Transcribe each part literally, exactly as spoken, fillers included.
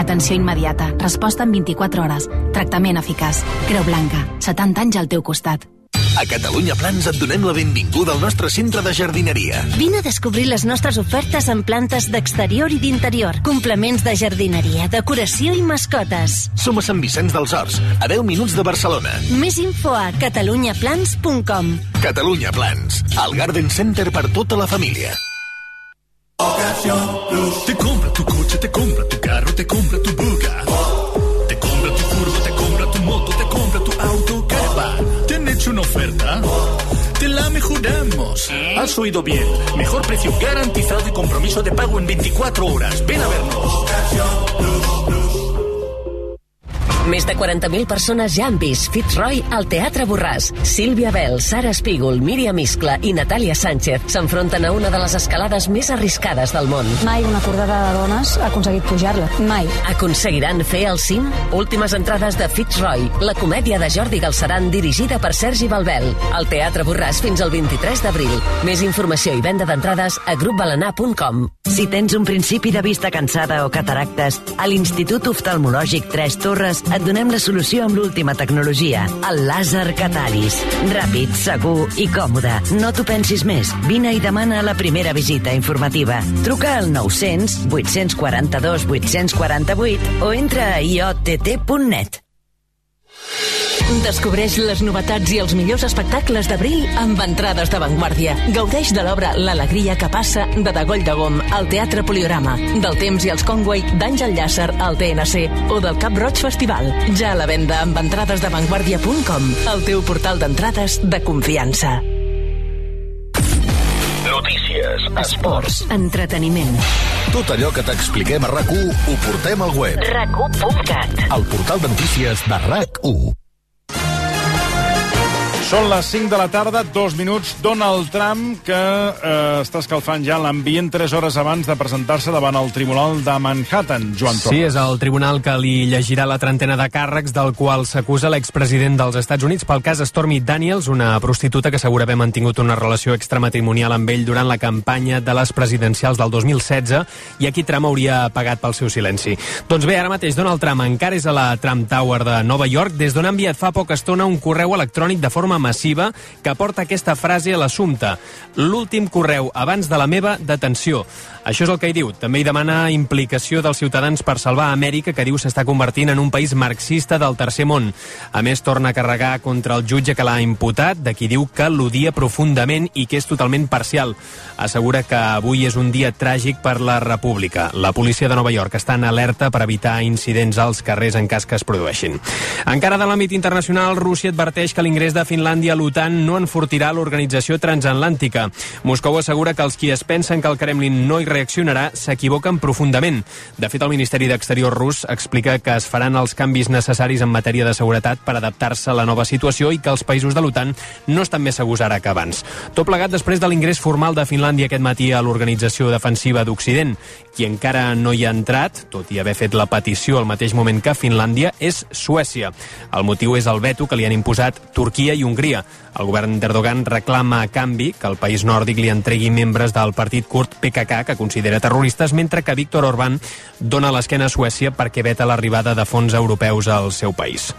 Atenció immediata, resposta en vint-i-quatre hores, tractament eficaç. Creu Blanca, setanta anys al teu costat. A Catalunya Plans et donem la benvinguda al nostre centre de jardineria. Vine a descobrir les nostres ofertes en plantes d'exterior i d'interior, complements de jardineria, decoració i mascotes. Som a Sant Vicenç dels Horts, a deu minuts de Barcelona. Més info a catalunya plans punt com. Catalunya Plans, el Garden Center per tota la família. Ocasión Plus. Te compra tu coche, te compra tu carro, te compra tu buga. Te compra tu furgo, te compra tu moto, te compra tu auto, caravan. ¿Te han hecho una oferta? Te la mejoramos. Has oído bien. Mejor precio garantizado y compromiso de pago en veinticuatro horas. Ven a vernos. Ocasión Plus, Plus. Més de quaranta mil persones ja han vist Fitzroy al Teatre Borràs. Sílvia Bell, Sara Espígol, Míriam Iscla i Natàlia Sánchez s'enfronten a una de les escalades més arriscades del món. Mai una cordada de dones ha aconseguit pujar-la. Mai. Aconseguiran fer el cim? Últimes entrades de Fitzroy, la comèdia de Jordi Galceran dirigida per Sergi Balbel. Al Teatre Borràs fins al vint-i-tres d'abril. Més informació i venda d'entrades a grup balanar punt com. Si tens un principi de vista cansada o cataractes, a l'Institut Oftalmològic Tres Torres et donem la solució amb l'última tecnologia, el làser Catalis. Ràpid, segur i còmode. No t'ho pensis més. Vine i demana la primera visita informativa. Truca al nou-cents, vuit-cents quaranta-dos, vuit-cents quaranta-vuit o entra a i o te te punt net. Descobreix les novetats i els millors espectacles d'abril amb entrades d'avantguàrdia. Gaudeix de l'obra L'alegria que passa de Dagoll de Gom al Teatre Poliorama, del Temps i els Conway d'Àngel Llàcer al T N C o del Cap Roig Festival. Ja a la venda amb entrades d'avantguàrdia punt com, el teu portal d'entrades de confiança. Notícies, esports, entreteniment. Tot allò que t'expliquem a RAC u ho portem al web. rac u punt cat. El portal de notícies de RAC u. Són les cinc de la tarda, dos minuts. Donald Trump, que eh, està escalfant ja l'ambient tres hores abans de presentar-se davant el Tribunal de Manhattan. Joan Torres. Sí, és el tribunal que li llegirà la trentena de càrrecs del qual s'acusa l'expresident dels Estats Units pel cas Stormy Daniels, una prostituta que assegura haver mantingut una relació extramatrimonial amb ell durant la campanya de les presidencials del dos mil setze i aquí Trump hauria pagat pel seu silenci. Doncs bé, ara mateix Donald Trump encara és a la Trump Tower de Nova York, des d'on ha enviat fa poca estona un correu electrònic de forma massiva que porta aquesta frase a l'assumpte: l'últim correu abans de la meva detenció. Això és el que hi diu. També hi demana implicació dels ciutadans per salvar Amèrica, que diu s'està convertint en un país marxista del tercer món. A més, torna a carregar contra el jutge que l'ha imputat, de qui diu que l'odia profundament i que és totalment parcial. Assegura que avui és un dia tràgic per la República. La policia de Nova York està en alerta per evitar incidents als carrers en cas que es produeixin. Encara de l'àmbit internacional, Rússia adverteix que l'ingrés de Finlàndia a l'OTAN no enfortirà l'organització transatlàntica. Moscou assegura que els qui es pensen que el Kremlin no hi reaccionarà s'equivoquen profundament. De fet, el Ministeri d'Exterior rus explica que es faran els canvis necessaris en matèria de seguretat per adaptar-se a la nova situació i que els països de l'OTAN no estan més segurs ara que abans. Tot plegat després de l'ingrés formal de Finlàndia aquest matí a l'Organització Defensiva d'Occident. Qui encara no hi ha entrat, tot i haver fet la petició al mateix moment que Finlàndia, és Suècia. El motiu és el veto que li han imposat Turquia i Hongria. El govern d'Erdogan reclama a canvi que el país nòrdic li entregui membres del partit kurd P K K, que considera terroristes, mentre que Viktor Orbán dona l'esquena a Suècia perquè veta l'arribada de fons europeus al seu país.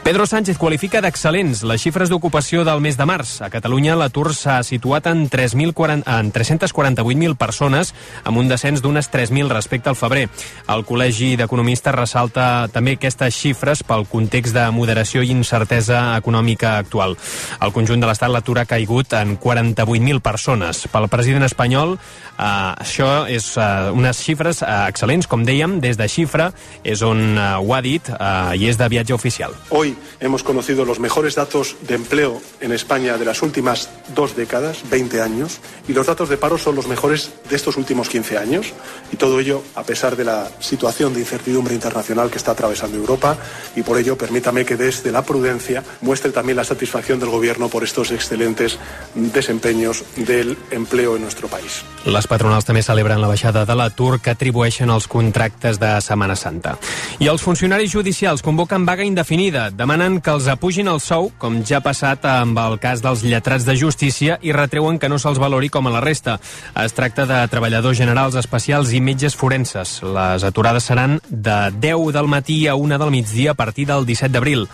Pedro Sánchez qualifica d'excel·lents les xifres d'ocupació del mes de març. A Catalunya l'atur s'ha situat en tres-cents quaranta-vuit mil persones, amb un descens d'unes tres mil respecte al febrer. El Col·legi d'Economistes ressalta també aquestes xifres pel context de moderació i incertesa econòmica actual. Al conjunt de l'Estat l'atur ha caigut en quaranta-vuit mil persones. Pel president espanyol, eh, això és eh, unes xifres eh, excel·lents, com dèiem, des de Xifra, és on eh, ho ha dit eh, i és de viatge oficial. Hoy hemos conocido los mejores datos de empleo en España de las últimas dos décadas, veinte años, y los datos de paro son los mejores de estos últimos quince años, y todo ello a pesar de la situación de incertidumbre internacional que está atravesando Europa, y por ello permítame que desde la prudencia muestre también la satisfacción del Gobierno por estos excelentes desempeños del empleo en nuestro país. Les patronals també celebren la baixada de l'atur que atribueixen als contractes de Setmana Santa. I els funcionaris judicials convoquen vaga indefinida. De Demanen que els apugin el sou, com ja ha passat amb el cas dels lletrats de justícia, i retreuen que no se'ls valori com a la resta. Es tracta de treballadors generals especials i metges forenses. Les aturades seran de deu del matí a una del migdia a partir del disset d'abril.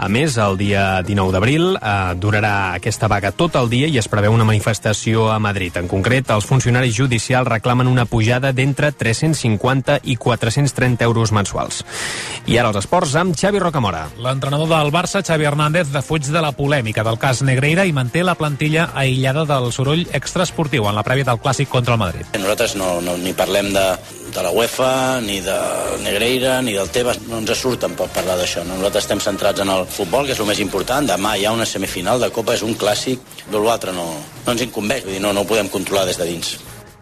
A més, el dia dinou d'abril eh, durarà aquesta vaga tot el dia i es preveu una manifestació a Madrid. En concret, els funcionaris judicials reclamen una pujada d'entre tres-cents cinquanta i quatre-cents trenta euros mensuals. I ara els esports amb Xavi Rocamora. L'entrenador del Barça, Xavi Hernández, defuig de la polèmica del cas Negreira i manté la plantilla aïllada del soroll extraesportiu en la prèvia del clàssic contra el Madrid. Nosaltres no, no ni parlem de, de la UEFA, ni de Negreira, ni del Tebas. No ens surt tampoc parlar d'això. No? Nosaltres estem centrats en el futbol, que és el més important. Demà hi ha una semifinal de Copa, és un clàssic. L'altre no, no ens incumbeix, vull dir, no, no ho podem controlar des de dins.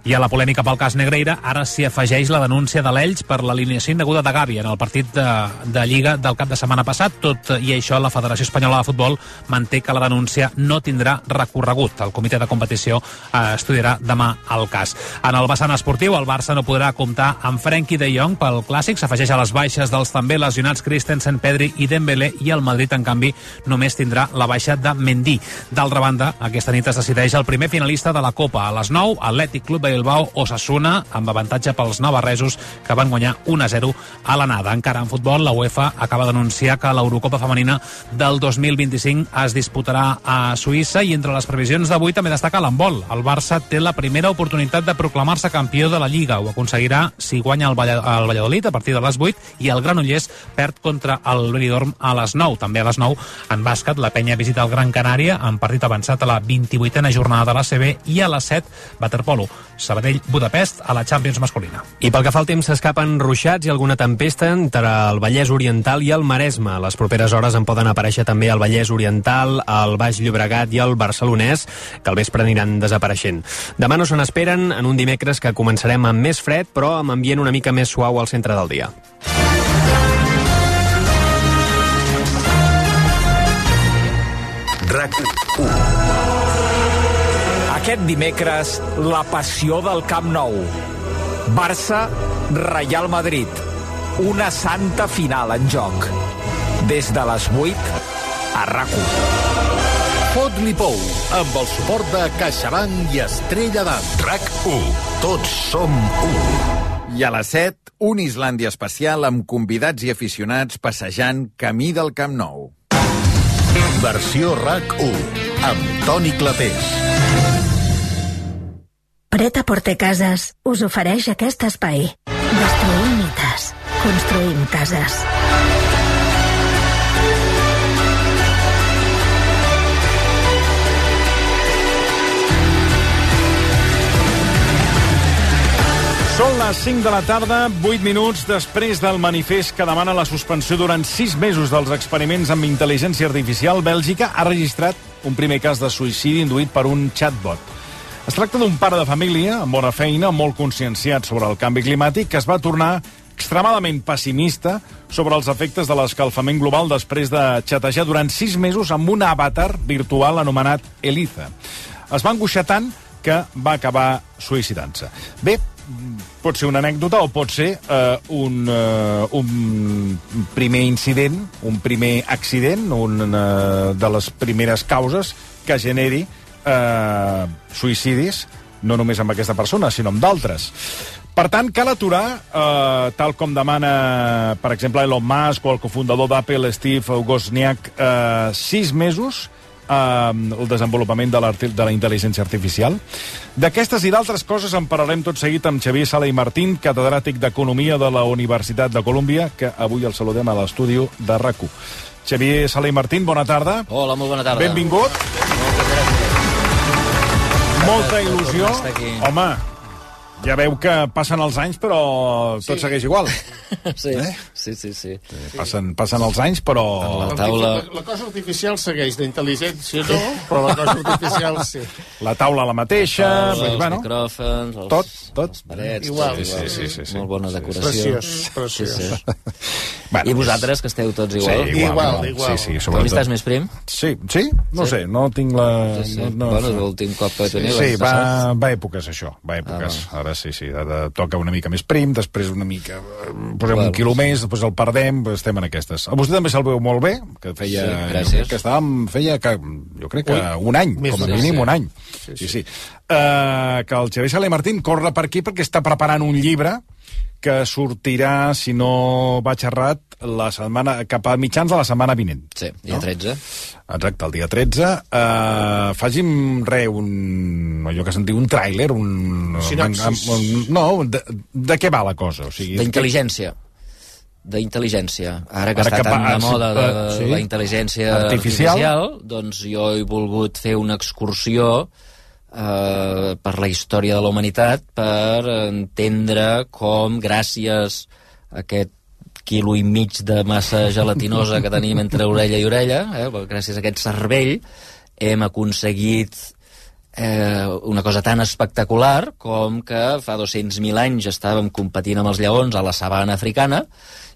I a la polèmica pel cas Negreira ara s'hi afegeix la denúncia de l'Elx per l'alineació indeguda de Gavi en el partit de, de Lliga del cap de setmana passat. Tot i això, la Federació Espanyola de Futbol manté que la denúncia no tindrà recorregut. El comitè de competició eh, estudiarà demà el cas. En el vessant esportiu, el Barça no podrà comptar amb Frenkie de Jong pel Clàssic. S'afegeix a les baixes dels també lesionats Christensen, Pedri i Dembélé, i el Madrid, en canvi, només tindrà la baixa de Mendy. D'altra banda, aquesta nit es decideix el primer finalista de la Copa. A les nou, Atlètic Club de Bilbao Osasuna, amb avantatge pels navarresos, que van guanyar un a zero a l'anada. Encara en futbol, la UEFA acaba d'anunciar que l'Eurocopa femenina del dos mil vint-i-cinc es disputarà a Suïssa, i entre les previsions d'avui també destaca l'handbol. El Barça té la primera oportunitat de proclamar-se campió de la Lliga. Ho aconseguirà si guanya el, Vall el Valladolid a partir de les vuit, i el Granollers perd contra el Benidorm a les nou. També a les nou, en bàsquet, la Penya visita el Gran Canària en partit avançat a la vint-i-vuitena jornada de l'A C B, i a les set, waterpolo, Sabadell Budapest a la Champions masculina. I pel que fa al temps, s'escapen ruixats i alguna tempesta entre el Vallès Oriental i el Maresme. Les properes hores en poden aparèixer també al Vallès Oriental, al Baix Llobregat i al Barcelonès, que al vespre aniran desapareixent. Demà no se n'esperen, en un dimecres que començarem amb més fred, però amb ambient una mica més suau al centre del dia. RAC u. Aquest dimecres, la passió del Camp Nou. Barça, Real Madrid. Una santa final en joc. Des de les vuit, a RAC u. Fot-li pou, amb el suport de CaixaBank i Estrella d'Am. RAC u. Tots som u. I a les set, un Islàndia especial amb convidats i aficionats passejant camí del Camp Nou. Versió RAC u, amb Toni Clapés. Pret-a-Porter Cases us ofereix aquest espai. Destruïm mites, construïm cases. Són les cinc de la tarda, vuit minuts després del manifest que demana la suspensió durant sis mesos dels experiments amb intel·ligència artificial. Bèlgica ha registrat un primer cas de suïcidi induït per un chatbot. Es tracta d'un pare de família amb bona feina, molt conscienciat sobre el canvi climàtic, que es va tornar extremadament pessimista sobre els efectes de l'escalfament global després de xatejar durant sis mesos amb un avatar virtual anomenat Eliza. Es va angoixar tant que va acabar suïcidant-se. Bé, pot ser una anècdota o pot ser eh, un, eh, un primer incident, un primer accident, una de les primeres causes que generi Eh, suïcidis, no només amb aquesta persona, sinó amb d'altres. Per tant, cal aturar, eh, tal com demana, per exemple, Elon Musk o el cofundador d'Apple, Steve Wozniak, eh, sis mesos eh, el desenvolupament de la, de la intel·ligència artificial. D'aquestes i d'altres coses en parlarem tot seguit amb Xavier Sala i Martín, catedràtic d'Economia de la Universitat de Colúmbia, que avui el saludem a l'estudi de RAC u. Xavier Sala i Martín, bona tarda. Hola, molt bona tarda. Benvingut. Moltes gràcies. Molta il·lusió. Home, ja veu que passen els anys, però tot sí. segueix igual. Sí, eh? sí, sí, sí. Passen, passen els anys, però... La, taula... la, la cosa artificial segueix, d'intel·ligència no, però la cosa artificial sí. La taula la mateixa... La taula, pues, els bueno, micròfons, els, tot, tot. les parets... Igual, tot, igual. Sí, sí, sí. Molt bona decoració. Preciós, preciós. Sí, sí. Bueno, I vosaltres, que esteu tots igual? Sí, igual. Igual, igual. Sí, sí, sobretot. Tu estàs més prim? Sí, sí? No sí. sé, no tinc la... Sí, sí. No, no, bueno, l'últim cop que teniu... Sí, sí va, va èpoques, això. Va èpoques. Ah, Ara sí, sí. Ara toca una mica més prim, després una mica... Posem pugem Igual. un quilo més, després el perdem, estem en aquestes. A vostè també se'l veu molt bé, que feia... Sí, gràcies. Que estàvem, feia, que, jo crec que Ui, un any, més com a de- mínim sí. un any. Sí, Sí, sí. Uh, que el Xavier Sala i Martín corre per aquí perquè està preparant un llibre que sortirà, si no vaig errat, la setmana, cap a mitjans de la setmana vinent. Sí, dia tretze. Exacte, el dia tretze. Uh, faci'm re, un... allò que se'n diu un tràiler, un... Sinopsis. un, no, de, de què va la cosa? O sigui, D'intel·ligència. D'intel·ligència. Ara que Ara està que tan va- de moda de eh, sí. la intel·ligència Artificial. artificial, doncs jo he volgut fer una excursió eh, per la història de la humanitat per entendre com, gràcies a aquest quilo i mig de massa gelatinosa que tenim entre orella i orella, eh, gràcies a aquest cervell, hem aconseguit eh, una cosa tan espectacular com que fa dos-cents mil anys estàvem competint amb els lleons a la sabana africana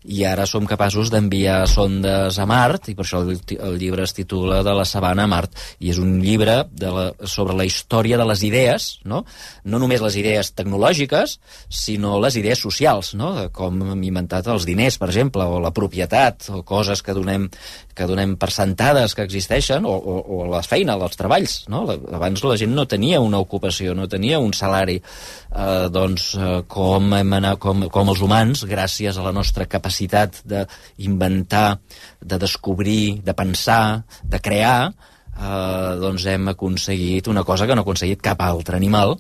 i ara som capaços d'enviar sondes a Mart, i per això el, el llibre es titula De la sabana a Mart, i és un llibre de la, sobre la història de les idees, no? No només les idees tecnològiques, sinó les idees socials, no? De com hem inventat els diners, per exemple, o la propietat, o coses que donem, que donem per sentades que existeixen, o, o, o la feina, els treballs, no? Abans la gent no tenia una ocupació, no tenia un salari. Eh, doncs eh, com, hem anat, com, com els humans, gràcies a la nostra capacitat d'inventar, de descobrir, de pensar, de crear, eh, doncs hem aconseguit una cosa que no ha aconseguit cap altre animal,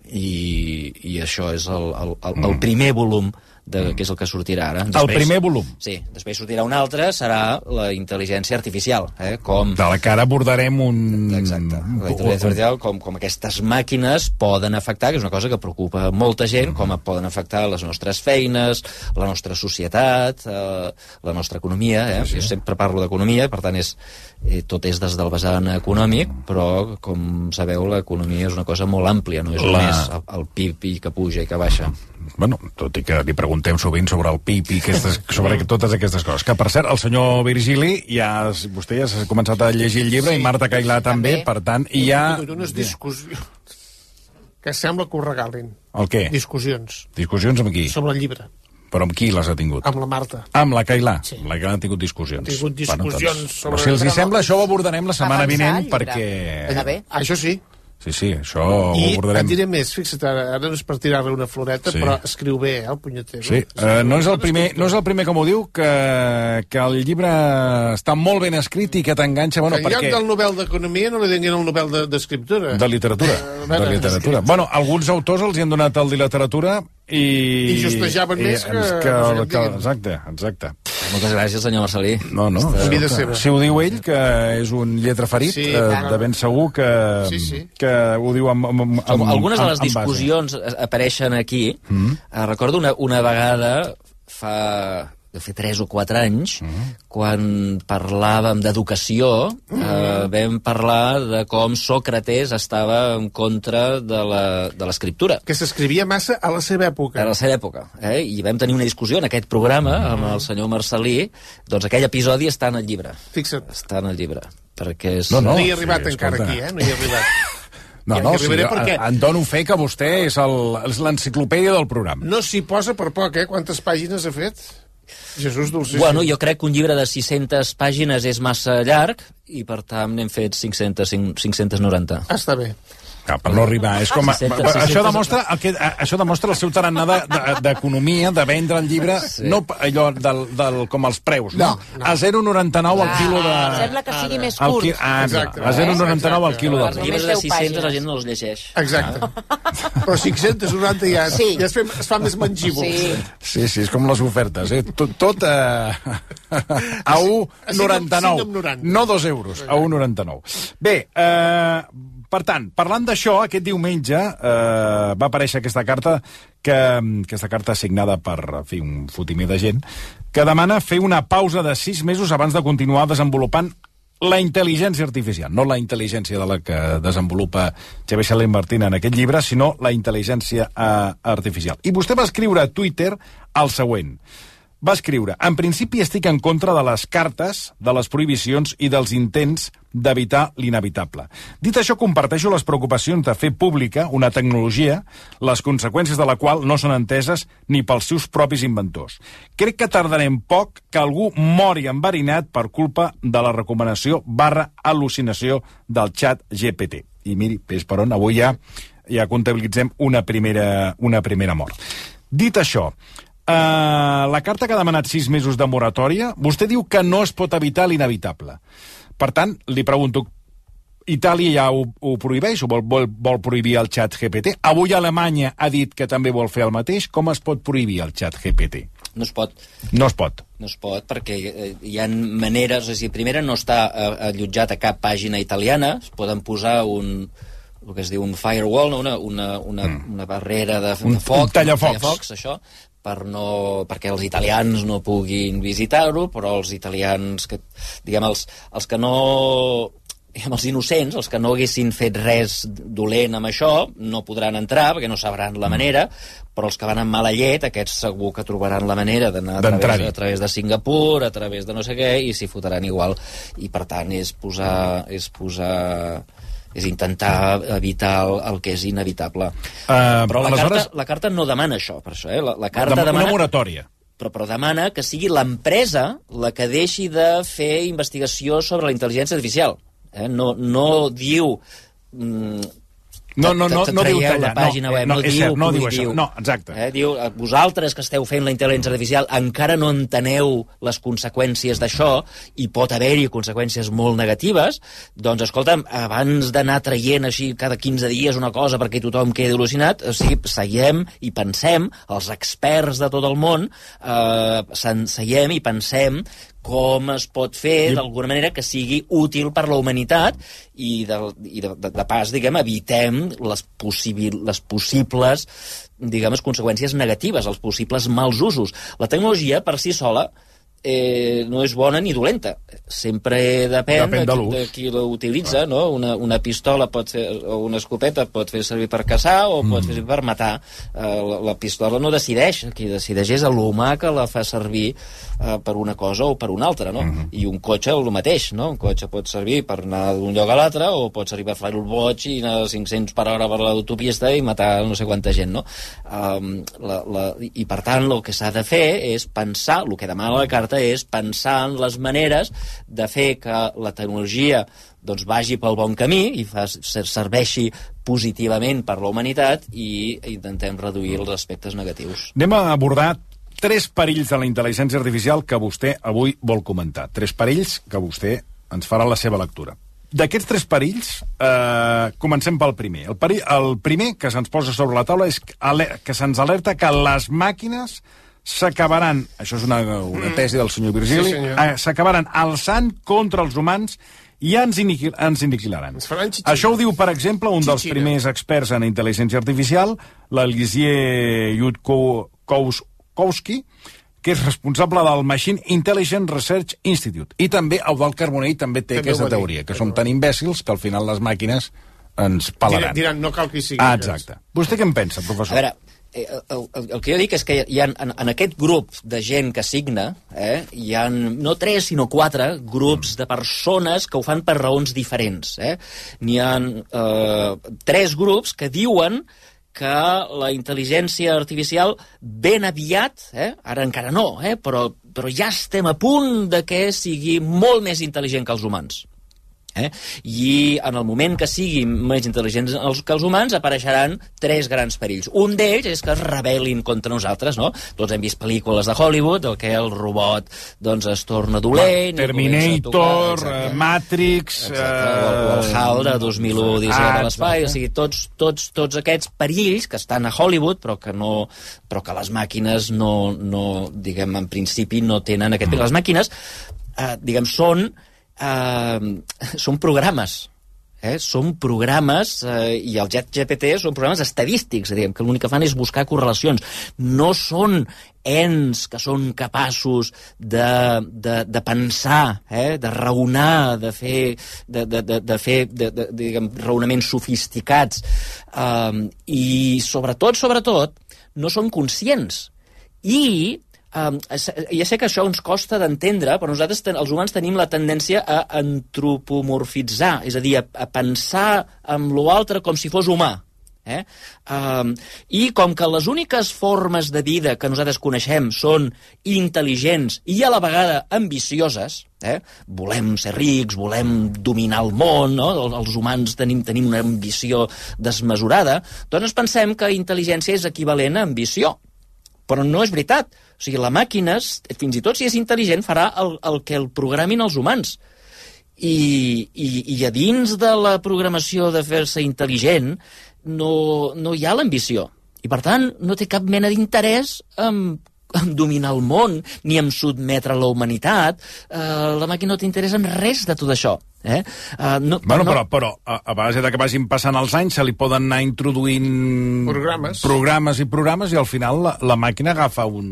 i, i això és el, el, el, el primer volum de, que és el que sortirà ara. El primer volum. Sí, després sortirà un altre, serà la intel·ligència artificial, eh? Com... De la que ara abordarem un... Exacte, la intel·ligència artificial, com, com aquestes màquines poden afectar, que és una cosa que preocupa molta gent, com poden afectar les nostres feines, la nostra societat, eh, la nostra economia, eh? Jo sempre parlo d'economia, per tant, és, eh, tot és des del vessant econòmic, però, com sabeu, l'economia és una cosa molt àmplia, no és La- només el, el P I B que puja i que baixa. Bueno, tot i que li preguntem sovint sobre el P I B i aquestes, sobre totes aquestes coses. Que, per cert, el senyor Virgili, ja, vostè ja s'ha començat a llegir el llibre, sí, i Marta Cailà també, per tant, i ja... Unes discussions que sembla que ho regalin. El què? Discussions Discussions amb qui? sobre el llibre, Però amb qui les ha tingut? amb la Marta. Amb la Cailà. Sí. La Cailà ha tingut discussions. Ha tingut discussions doncs, sobre- però si els hi sembla, això ho abordarem la setmana Avançar vinent, el llibre. perquè... Està bé. Això sí. Sí, sí, això I ho et abordarem. diré més, fixa't, ara, ara no és per tirar-li una floreta, Sí. però escriu bé, eh, el punyeter. Sí, uh, no, és el primer, no és el primer com ho diu, que, que el llibre està molt ben escrit i que t'enganxa, bueno, que en lloc perquè... del Nobel d'Economia no li donin el Nobel de- d'Escriptura. De literatura, Eh, de literatura. Bueno, alguns autors els hi han donat el de literatura i... I justejaven i, més que- que, que que, el que diguin. exacte, exacte. Moltes gràcies, senyor Marcelí. No, no, En vida escolta, seva. si ho diu ell, que és un lletraferit, Sí, eh, clar. de ben segur que, Sí, sí. que ho diu amb, amb, amb, Com algunes de les amb- amb base. discussions apareixen aquí. Mm. Eh, recordo una, una vegada fa de fer tres o quatre anys, mm. quan parlàvem d'educació, mm. eh, vam parlar de com Sòcrates estava en contra de la- de l'escriptura. Que s'escrivia massa a la seva època. A la seva època. Eh? I vam tenir una discussió en aquest programa Mm. amb el senyor Marcelí. Doncs aquell episodi està en el llibre. Fixa't. Està en el llibre. Perquè és... No, no, No hi he arribat sí, encara escolta. aquí, eh? No hi he arribat. No, Ja no, hi sí, arribaré perquè- en dono fe que vostè és el- és l'enciclopèdia del programa. No s'hi posa per poc, eh? Quantes pàgines ha fet? Jesús dolcíssim. Bueno, jo crec que un llibre de sis-centes pàgines és massa llarg i, per tant, n'hem fet cinc-centes, cinc-centes noranta. Ah, està bé. Ah, per no arribar. És com, sis-centes, això, sis-centes. demostra el que, això demostra el seu tarannà de- de- d'economia, de, de vendre el llibre, sí. No allò del, del, com els preus, no? No, no. A zero coma noranta-nou al Ah, quilo de... sembla que sigui més al curt. qui- Ah, Exacte. a zero coma noranta-nou al quilo Els de... llibres de deu sis-centes la pàgines. gent no els llegeix. Exacte. Però cinc-centes noranta ja, Sí. ja es, fa, es fa més mangíbol. Sí. Sí, sí, és com les ofertes, eh? Tot, tot a, a un coma noranta-nou. cinc coma noranta. No dos euros, a un coma noranta-nou. Bé, eh, per tant, parlant d'això, aquest diumenge eh, va aparèixer aquesta carta, que, aquesta carta signada per, en fi, un fotimer de gent, que demana fer una pausa de sis mesos abans de continuar desenvolupant la intel·ligència artificial, no la intel·ligència de la que desenvolupa Xavier Sala i Martín en aquest llibre, sinó la intel·ligència eh, artificial. I vostè va escriure a Twitter el següent: va escriure: en principi estic en contra de les cartes, de les prohibicions i dels intents d'evitar l'inevitable. Dit això, comparteixo les preocupacions de fer pública una tecnologia, les conseqüències de la qual no són enteses ni pels seus propis inventors. Crec que tardarem poc que algú mori enverinat per culpa de la recomanació barra al·lucinació del xat G P T. I miri, peix per on, avui ja, ja comptabilitzem una primera, una primera mort. Dit això, Uh, la carta que ha demanat sis mesos de moratòria, vostè diu que no es pot evitar l'inevitable. Per tant, li pregunto, Itàlia ja ho, ho prohibeix o vol, vol, vol prohibir el xat G P T? Avui Alemanya ha dit que també vol fer el mateix. Com es pot prohibir el xat G P T? No es pot. No es pot. No es pot, perquè hi ha maneres... És a dir, primera, no està allotjat a cap pàgina italiana. Es poden posar un... el que es diu un firewall, una, una, una, mm. una barrera de, un, de foc, un tallafocs. Un tallafocs, això, per no, perquè els italians no puguin visitar-ho, però els italians, que, diguem, els, els que no... Diguem, els innocents, els que no haguessin fet res dolent amb això, no podran entrar, perquè no sabran la manera, però els que van amb mala llet, aquests segur que trobaran la manera d'anar a través, a través de Singapur, a través de no sé què, i s'hi fotran igual. I, per tant, és posar... És posar és intentar evitar el, el que és inevitable. Uh, però la, aleshores... carta, la carta no demana això, per això, eh? La, la carta Dem demana... Una moratòria. Però, però demana que sigui l'empresa la que deixi de fer investigació sobre la intel·ligència artificial. Eh? No, no diu... Mm, No, no, no, no diu tallar. La pàgina no, web, no, no, és diu, cert, no diu diu, això. No, exacte. Eh, diu, vosaltres que esteu fent la intel·ligència artificial encara no enteneu les conseqüències d'això i pot haver-hi conseqüències molt negatives, doncs, escolta'm, abans d'anar traient així cada quinze dies una cosa perquè tothom quedi al·lucinat, o sigui, seiem i pensem, els experts de tot el món, eh, seiem i pensem com es pot fer, d'alguna manera, que sigui útil per la humanitat i, de, i de, de, de pas, diguem, evitem les, possibil, les possibles, diguem, conseqüències negatives, els possibles mals usos. La tecnologia, per si sola, eh, no és bona ni dolenta. Sempre depèn, depèn de, de, de qui l'utilitza, no? Una, una pistola pot fer, o una escopeta pot fer servir per caçar o mm. pot fer servir per matar. Eh, la, la pistola no decideix, qui decideix és l'humà que la fa servir eh, per una cosa o per una altra, no? Mm. I un cotxe el mateix, no? Un cotxe pot servir per anar d'un lloc a l'altre o pot servir per fer-ho el boig i anar a cinc-cents per hora per l'autopista i matar no sé quanta gent, no? Um, la, la, I per tant el que s'ha de fer és pensar, el que demana la carta és pensar en les maneres de fer que la tecnologia doncs, vagi pel bon camí i fa, serveixi positivament per la humanitat i intentem reduir els aspectes negatius. Anem a abordar tres perills de la intel·ligència artificial que vostè avui vol comentar. Tres perills que vostè ens farà la seva lectura. D'aquests tres perills, eh, comencem pel primer. El, perill, el primer que se'ns posa sobre la taula és que se'ns alerta que les màquines s'acabaran, això és una, una tesi del senyor Virgili, sí, eh, s'acabaran alçant contra els humans i ens, iniquil, ens iniquilaran. Això ho diu, per exemple, un dels Chichina. primers experts en intel·ligència artificial, l'Elisier Yudkowsky, que és responsable del Machine Intelligence Research Institute. I també Eudald Carbonell també té també aquesta teoria, que som tan imbècils que al final les màquines ens pelaran. Diran, no cal que hi sigui. Ah, exacte. Vostè què en pensa, professor? A veure, El, el, el que jo dic és que hi ha, en, en aquest grup de gent que signa, eh, hi ha no tres, sinó quatre grups de persones que ho fan per raons diferents. Eh? N'hi ha eh, tres grups que diuen que la intel·ligència artificial ben aviat, eh, ara encara no, eh, però, però ja estem a punt de que sigui molt més intel·ligent que els humans. Eh? I en el moment que siguin més intel·ligents que els humans apareixeran tres grans perills. Un d'ells és que es rebel·lin contra nosaltres, no? Tots hem vist pel·lícules de Hollywood en què el robot doncs, es torna dolent, Terminator, tocar, Matrix, exacte, o, o el HAL de dos mil u Odissea de l'Espai, o sigui, tots, tots, tots aquests perills que estan a Hollywood però que, no, però que les màquines no, no, diguem, en principi no tenen aquest perill. Les màquines, eh, diguem, són Uh, són programes eh? són programes uh, i el Chat G P T són programes estadístics, diguem, que l'únic que fan és buscar correlacions, no són ens que són capaços de, de, de pensar, eh? de raonar, de fer, de, de, de, de fer de, de, diguem, raonaments sofisticats, uh, i sobretot, sobretot no són conscients i Um, ja sé que això ens costa d'entendre, però nosaltres, ten, els humans, tenim la tendència a antropomorfitzar, és a dir, a, a pensar amb l'altre com si fos humà. Eh? Um, I com que les úniques formes de vida que nosaltres coneixem són intel·ligents i a la vegada ambicioses, eh? volem ser rics, volem dominar el món, no? Els humans tenim, tenim una ambició desmesurada, doncs pensem que intel·ligència és equivalent a ambició. Però no és veritat. O sigui, la màquina, fins i tot si és intel·ligent, farà el, el que el programin els humans. I, i, i a dins de la programació de fer-se intel·ligent no, no hi ha l'ambició. I, per tant, no té cap mena d'interès en, en dominar el món, ni en sotmetre la humanitat. Uh, la màquina no té interès en res de tot això. Eh? Uh, no, bueno, no... però, però a, a base de que vagin passant els anys se li poden anar introduint programes, programes i programes i al final la, la màquina agafa un,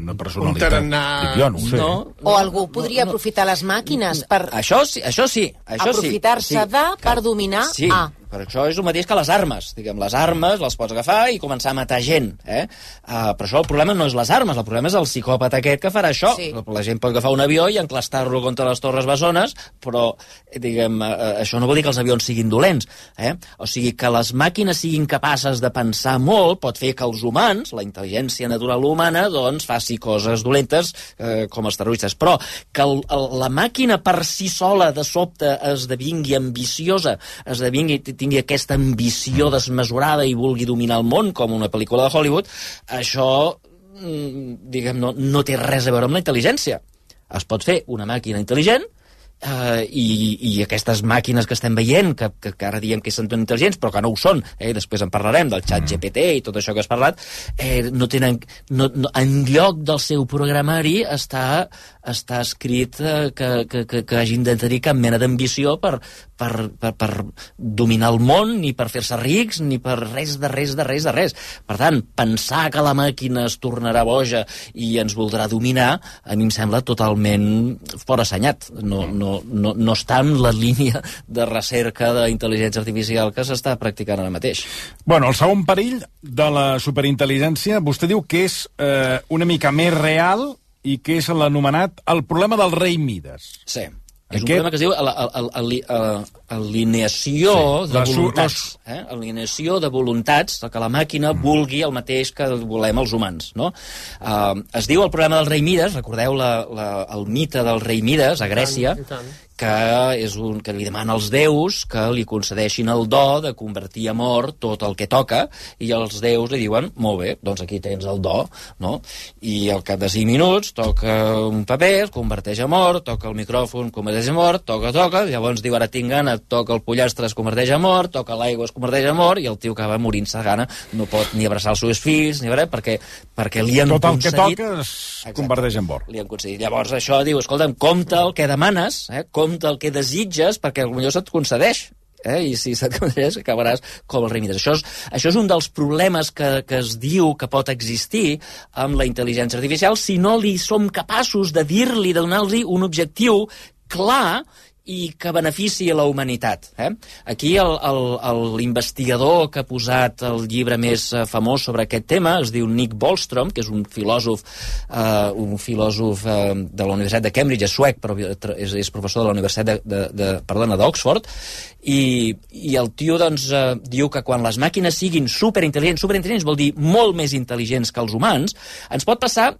una personalitat. Un tarannà... Dic jo, no ho sé. No, o algú podria no, no. aprofitar les màquines per... Això sí, això sí. Això aprofitar-se sí, de sí, per dominar sí, a... però això és el mateix que les armes. Diguem, les armes les pots agafar i començar a matar gent. Eh? Uh, però això el problema no és les armes, el problema és el psicòpata aquest que farà això. Sí. La gent pot agafar un avió i enclastar-lo contra les Torres Bessones, però, diguem, uh, això no vol dir que els avions siguin dolents. Eh? O sigui, que les màquines siguin capaces de pensar molt pot fer que els humans, la intel·ligència natural humana, doncs faci coses dolentes eh, com els terroristes. Però que el, el, la màquina per si sola de sobte esdevingui ambiciosa, esdevingui, tingui aquesta ambició desmesurada i vulgui dominar el món com una pel·lícula de Hollywood, això, diguem, no, no té res a veure amb la intel·ligència. Es pot fer una màquina intel·ligent Uh, i, i aquestes màquines que estem veient, que, que, que ara diem que són intel·ligents, però que no ho són, eh? Després en parlarem del xat G P T i tot això que has parlat, eh, no tenen, no, no, en lloc del seu programari està, està escrit eh, que, que, que, que hagin de tenir cap mena d'ambició per, per, per, per dominar el món, ni per fer-se rics, ni per res de res de res de res. Per tant, pensar que la màquina es tornarà boja i ens voldrà dominar, a mi em sembla totalment forassenyat. No, no No, no, no està en la línia de recerca d'intel·ligència artificial que s'està practicant ara mateix. Bueno, el segon perill de la superintel·ligència, vostè diu que és eh, una mica més real i que és l'anomenat el problema del rei Mides. Sí. És un problema que es diu alineació sí, de voluntats. Eh? Alineació de voluntats, que la màquina vulgui el mateix que volem els humans. No? Uh, es diu el problema del rei Mides, recordeu la, la, el mite del rei Mides a Grècia, I tant, i tant. que és un que li demana als déus que li concedeixin el do de convertir a mort tot el que toca, i els déus li diuen, molt bé, doncs aquí tens el do, no? I al cap de cinc minuts toca un paper, es converteix a mort, toca el micròfon, converteix a mort, toca, toca, llavors diu, ara tinc gana, toca el pollastre, es converteix a mort, toca l'aigua, es converteix a mort, i el tio acaba morint-se gana, no pot ni abraçar els seus fills, ni res, perquè, perquè li han tot concedit... Tot el que toca es Exacte. converteix en mort. Li han concedit. Llavors això diu, escolta'm, compta el que demanes, eh? compta el que desitges, perquè potser se't concedeix. Eh? I si se't concedeix, acabaràs com el rei Mides. Això és, això és un dels problemes que, que es diu que pot existir amb la intel·ligència artificial si no li som capaços de dir-li, de donar-li un objectiu clar i que benefici a la humanitat. Eh? Aquí l'investigador que ha posat el llibre més famós sobre aquest tema es diu Nick Bostrom, que és un filòsof, uh, un filòsof uh, de la Universitat de Cambridge, és suec, però és, és professor de la Universitat de, de, de, perdona, d'Oxford, i, i el tio doncs, uh, diu que quan les màquines siguin superintel·ligents, superintel·ligents vol dir molt més intel·ligents que els humans, ens pot passar,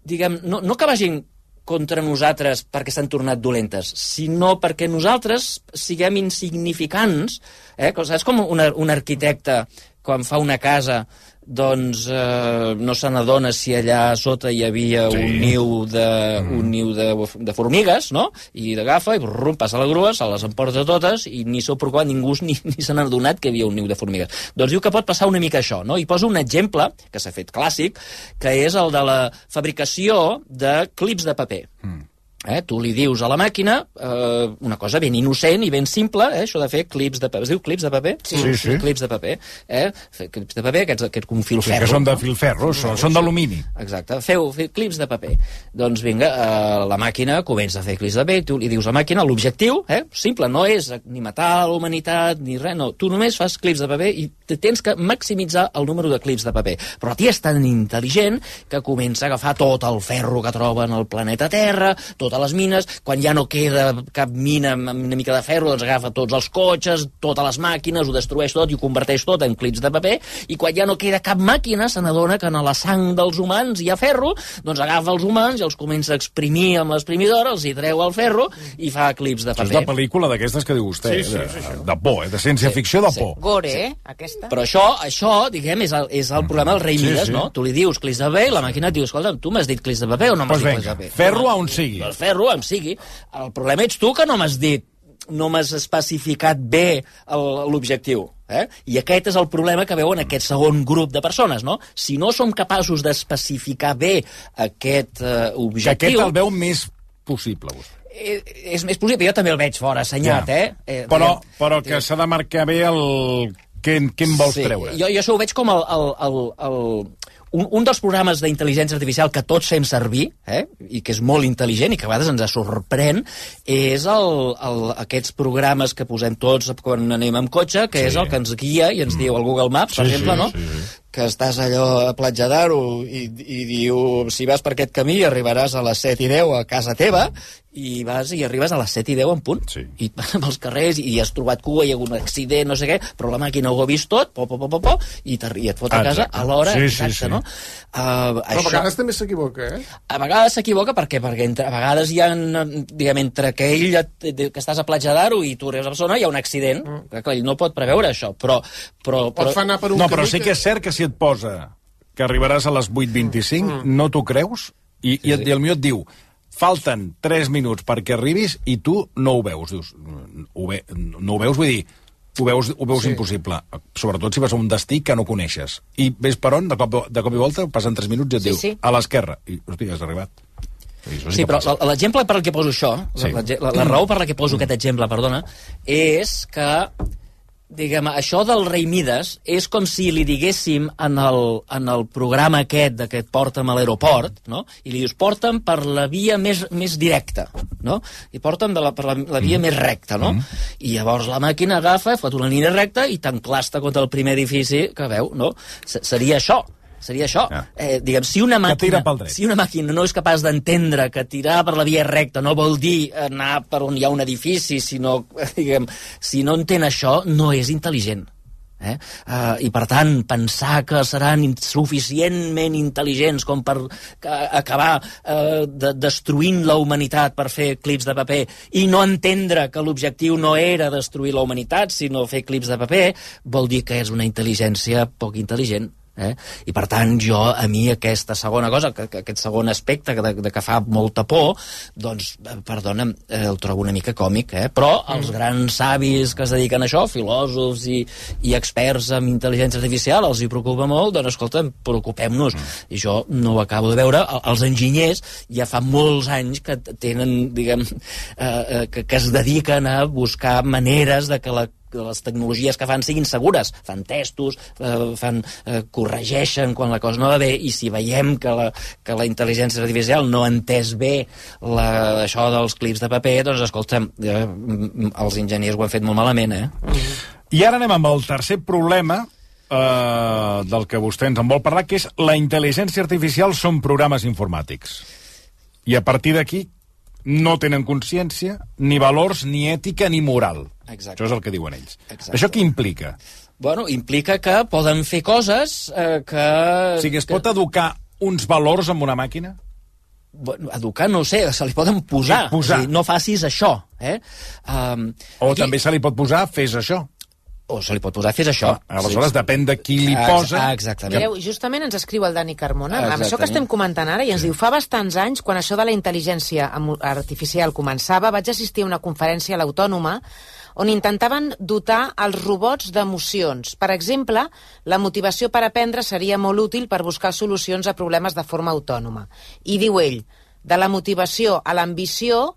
diguem, no, no que vagin contra nosaltres perquè s'han tornat dolentes, sinó perquè nosaltres siguem insignificants. Eh? És com un, un arquitecte, quan fa una casa, doncs eh, no se n'adona si allà sota hi havia sí. un niu de, mm. un niu de, de formigues, no? I d'agafa i brum, passa la grua, se les emporta totes i ni sou per quan ningú ni, ni se n'ha adonat que hi havia un niu de formigues. Doncs diu que pot passar una mica això, no? I posa un exemple, que s'ha fet clàssic, que és el de la fabricació de clips de paper. Mm. Eh? Tu li dius a la màquina eh, una cosa ben innocent i ben simple, eh? Això de fer clips de paper. Es diu clips de paper? Sí, sí. sí. Clips de paper. Eh? Fer clips de paper, aquests, aquests com filferro. Sí, que són de filferro, no? són, són d'alumini. Exacte. Feu, feu clips de paper. Doncs vinga, eh, la màquina comença a fer clips de paper, tu li dius a la màquina l'objectiu, eh? simple, no és ni matar la humanitat ni res, no. Tu només fas clips de paper i tens que maximitzar el número de clips de paper. Però la tia és tan intel·ligent que comença a agafar tot el ferro que troba en el planeta Terra, tot a les mines, quan ja no queda cap mina amb una mica de ferro, doncs agafa tots els cotxes, totes les màquines, ho destrueix tot i ho converteix tot en clips de paper, i quan ja no queda cap màquina se n'adona que en la sang dels humans hi ha ferro, doncs agafa els humans i els comença a exprimir amb l'exprimidora, els hi treu el ferro i fa clips de paper. És la pel·lícula d'aquestes que diu vostè, sí, sí, de, sí, sí. de por, eh? de ciència-ficció de por. Gore, eh, aquesta. Però això, això diguem, és el, és el problema del rei Sí, Mides, sí. no? Tu li dius clips de paper i la màquina et diu, escolta, tu m'has dit clips de paper o no m'has Pues dit venga, clips de paper? ferro a on sigui. El ferro on sigui. El problema ets tu que no m'has dit, no m'has especificat bé el- l'objectiu. Eh? I aquest és el problema que veuen aquest segon grup de persones, no? Si no som capaços d'especificar bé aquest eh, Que objectiu... aquest el veu més possible, vostè. Eh, és més possible, jo també el veig fora assenyat, Ja. eh? eh Però, diguem, però que s'ha de marcar bé el... Què, què en vols sí, treure? Jo, jo això ho veig com el, el, el, el, un, un dels programes d'intel·ligència artificial que tots fem servir, eh, i que és molt intel·ligent i que a vegades ens sorprèn, és el, el, aquests programes que posem tots quan anem amb cotxe, que Sí. és el que ens guia i ens diu el Google Maps, per Sí, exemple, sí, no? sí, sí. Que estàs allò a Platja d'Aro i, i diu, si vas per aquest camí arribaràs a les set i deu a casa teva, i vas i arribes a les set i deu en punt. Sí. I pels carrers i has trobat cua, hi ha hagut un accident, no sé què, però la màquina ho ha vist tot, po, po, po, po, po, i, i et fot a casa Exacte. a l'hora Sí, sí, exacta, sí. no? Uh, Però a vegades també s'equivoca, eh? a vegades s'equivoca perquè, perquè entre, a vegades hi ha, diguem, entre que ell et, que estàs a Platja d'Aro i tu eres a Barcelona, hi ha un accident, mm. que clar, ell no pot preveure això, però... però, però Pot anar per un No, però camí sí que és cert que si et posa que arribaràs a les vuit vint-i-cinc, mm. no t'ho creus, i, i, et, i el millor et diu falten tres minuts perquè arribis i tu no ho veus. Dius, ho ve, no ho veus, vull dir, ho veus, ho veus Sí. impossible. Sobretot si vas a un destí que no coneixes. I ves per on, de cop, de cop i volta, passen tres minuts i et Sí, diu sí. a l'esquerra. I, hosti, has arribat. I això Sí, que però passa. l- l'exemple per al que poso això, Sí. la, la, la raó per la que poso aquest exemple, perdona, és que, diguem, això del rei Mides és com si li diguéssim en el, en el programa aquest de que et porta'm a l'aeroport, no? I li dius, porta'm per la via més, més directa, no? I porta'm de la, per la, la via mm. més recta, no? Mm. I llavors la màquina agafa, fot una línia recta i t'enclasta contra el primer edifici que veu, no? S Seria això. Seria això. Ja. Eh, diguem, si una Que tira màquina, pel dret. si una màquina no és capaç d'entendre que tirar per la via recta no vol dir anar per on hi ha un edifici, sinó, diguem, si no entén això, no és intel·ligent. Eh? Uh, I per tant, pensar que seran suficientment intel·ligents com per uh, acabar uh, de, destruint la humanitat per fer clips de paper i no entendre que l'objectiu no era destruir la humanitat, sinó fer clips de paper, vol dir que és una intel·ligència poc intel·ligent. Eh? I per tant jo, a mi aquesta segona cosa, que, que aquest segon aspecte de, de que fa molta por, doncs, eh, perdona'm, eh, el trobo una mica còmic, eh? Però els grans savis que es dediquen a això, filòsofs i, i experts en intel·ligència artificial, els hi preocupa molt, doncs escolta, preocupem-nos. I jo no ho acabo de veure. El- Els enginyers ja fa molts anys que tenen, diguem, eh, eh, que, que es dediquen a buscar maneres de que la que les tecnologies que fan siguin segures. Fan testos, eh, fan, eh, corregeixen quan la cosa no va bé, i si veiem que la, que la intel·ligència artificial no ha entès bé la, això dels clips de paper, doncs escolta'm, eh, els enginyers ho han fet molt malament, eh? I ara anem amb el tercer problema eh, del que vostè ens en vol parlar, que és la intel·ligència artificial són programes informàtics. I a partir d'aquí no tenen consciència, ni valors, ni ètica, ni moral. Exacte. Això és el que diuen ells. Exacte. Això què implica? Bueno, implica que poden fer coses eh, que... O sigui, es pot educar uns valors amb una màquina? Bueno, educar, no ho sé, se li poden posar. Sí, posar. És a dir, no facis això. Eh? Um, O aquí... també se li pot posar fes això? O se li pot posar fes això. Ah, aleshores, sí. Depèn de qui li Ah, posa... ah, exactament. Mireu, justament ens escriu el Dani Carmona, amb Exactament. això que estem comentant ara, i ens diu, fa bastants anys, quan això de la intel·ligència amo- artificial començava, vaig assistir a una conferència a l'Autònoma on intentaven dotar els robots d'emocions. Per exemple, la motivació per aprendre seria molt útil per buscar solucions a problemes de forma autònoma. I diu ell, De la motivació a l'ambició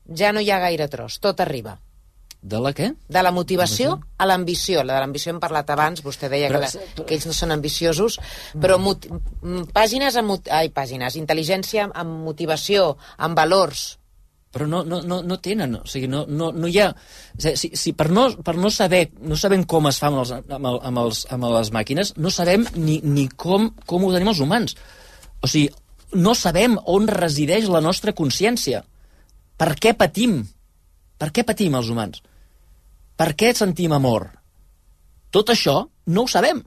ja no hi ha gaire tros, tot arriba. De la què? De la motivació a l'ambició. La de l'ambició hem parlat abans, vostè deia Però- que, la, que ells no són ambiciosos, però mot, m- pàgines amb... mot- Ai, pàgines, intel·ligència amb motivació, amb valors. Però no, no, no, no tenen, o sigui, no, no, no hi ha... O sigui, si, si per, no, per no saber, no sabem com es fa amb, els, amb, el, amb, els, amb les màquines, no sabem ni, ni com, com ho tenim els humans. O sigui, no sabem on resideix la nostra consciència. Per què patim? Per què patim els humans? Per què sentim amor? Tot això no ho sabem.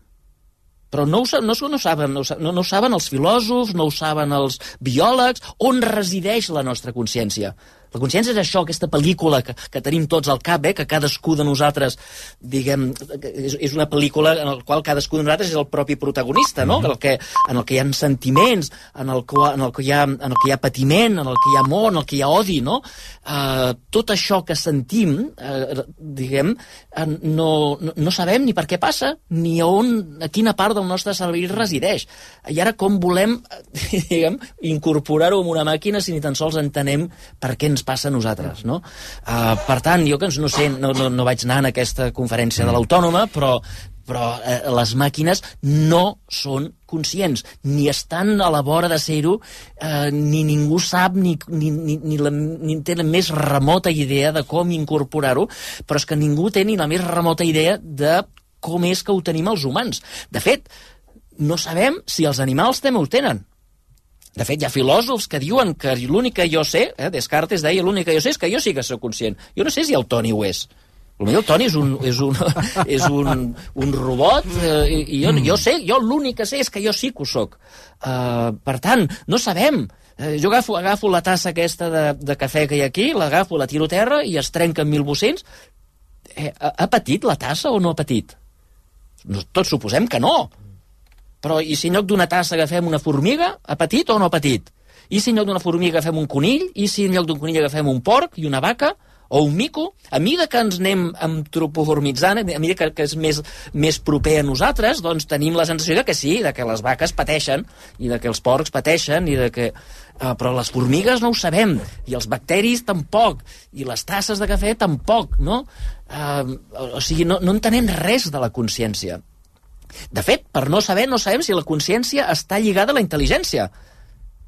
Però no ho, sa- no, no, ho saben, no, ho sa- no, no ho saben els filòsofs, no ho saben els biòlegs, on resideix la nostra consciència. La consciència és això, aquesta pel·lícula que, que tenim tots al cap, eh, que cadascú de nosaltres, diguem, és, és una pel·lícula en la qual cadascú de nosaltres és el propi protagonista, no? El que, en el que hi ha sentiments, en el, que, en, el que hi ha, en el que hi ha patiment, en el que hi ha amor, en el que hi ha odi, no? Uh, tot això que sentim, uh, diguem, uh, no, no, no sabem ni per què passa, ni a on, a quina part del nostre cervell resideix. I ara com volem, diguem, incorporar-ho en una màquina si ni tan sols entenem per què ens passa a nosaltres, no? Uh, per tant, jo que no sé, no, no, no vaig anar en aquesta conferència de l'Autònoma, però, però eh, les màquines no són conscients, ni estan a la vora de ser-ho, eh, ni ningú sap, ni, ni, ni, ni, la, ni té la més remota idea de com incorporar-ho, però és que ningú té ni la més remota idea de com és que ho tenim els humans. De fet, no sabem si els animals també ho tenen. De fet, hi ha filòsofs que diuen que l'únic que jo sé, eh, Descartes deia, l'únic que jo sé és que jo sí que soc conscient. Jo no sé si el Toni ho és. Potser el Toni és un, és un, és un, un robot, eh, i jo, jo sé, jo l'únic que sé és que jo sí que ho soc. Uh, per tant, no sabem. Uh, jo agafo, agafo la tassa aquesta de, de cafè que hi ha aquí, l'agafo, la tiro a terra i es trenca en mil bocins. Eh, ha, ha patit la tassa o no ha patit? No, tots suposem que no. Però i si en lloc d'una tassa agafem una formiga, ha patit o no ha patit? I si en lloc d'una formiga agafem un conill? I si en lloc d'un conill agafem un porc i una vaca? O un mico? A mesura que ens anem antropoformitzant, a mesura que, que és més, més proper a nosaltres, doncs tenim la sensació de que sí, de que les vaques pateixen, i de que els porcs pateixen, i de que... Uh, però les formigues no ho sabem, i els bacteris tampoc, i les tasses de cafè tampoc, no? Uh, o sigui, no, no entenem res de la consciència. De fet, per no saber, no sabem si la consciència està lligada a la intel·ligència.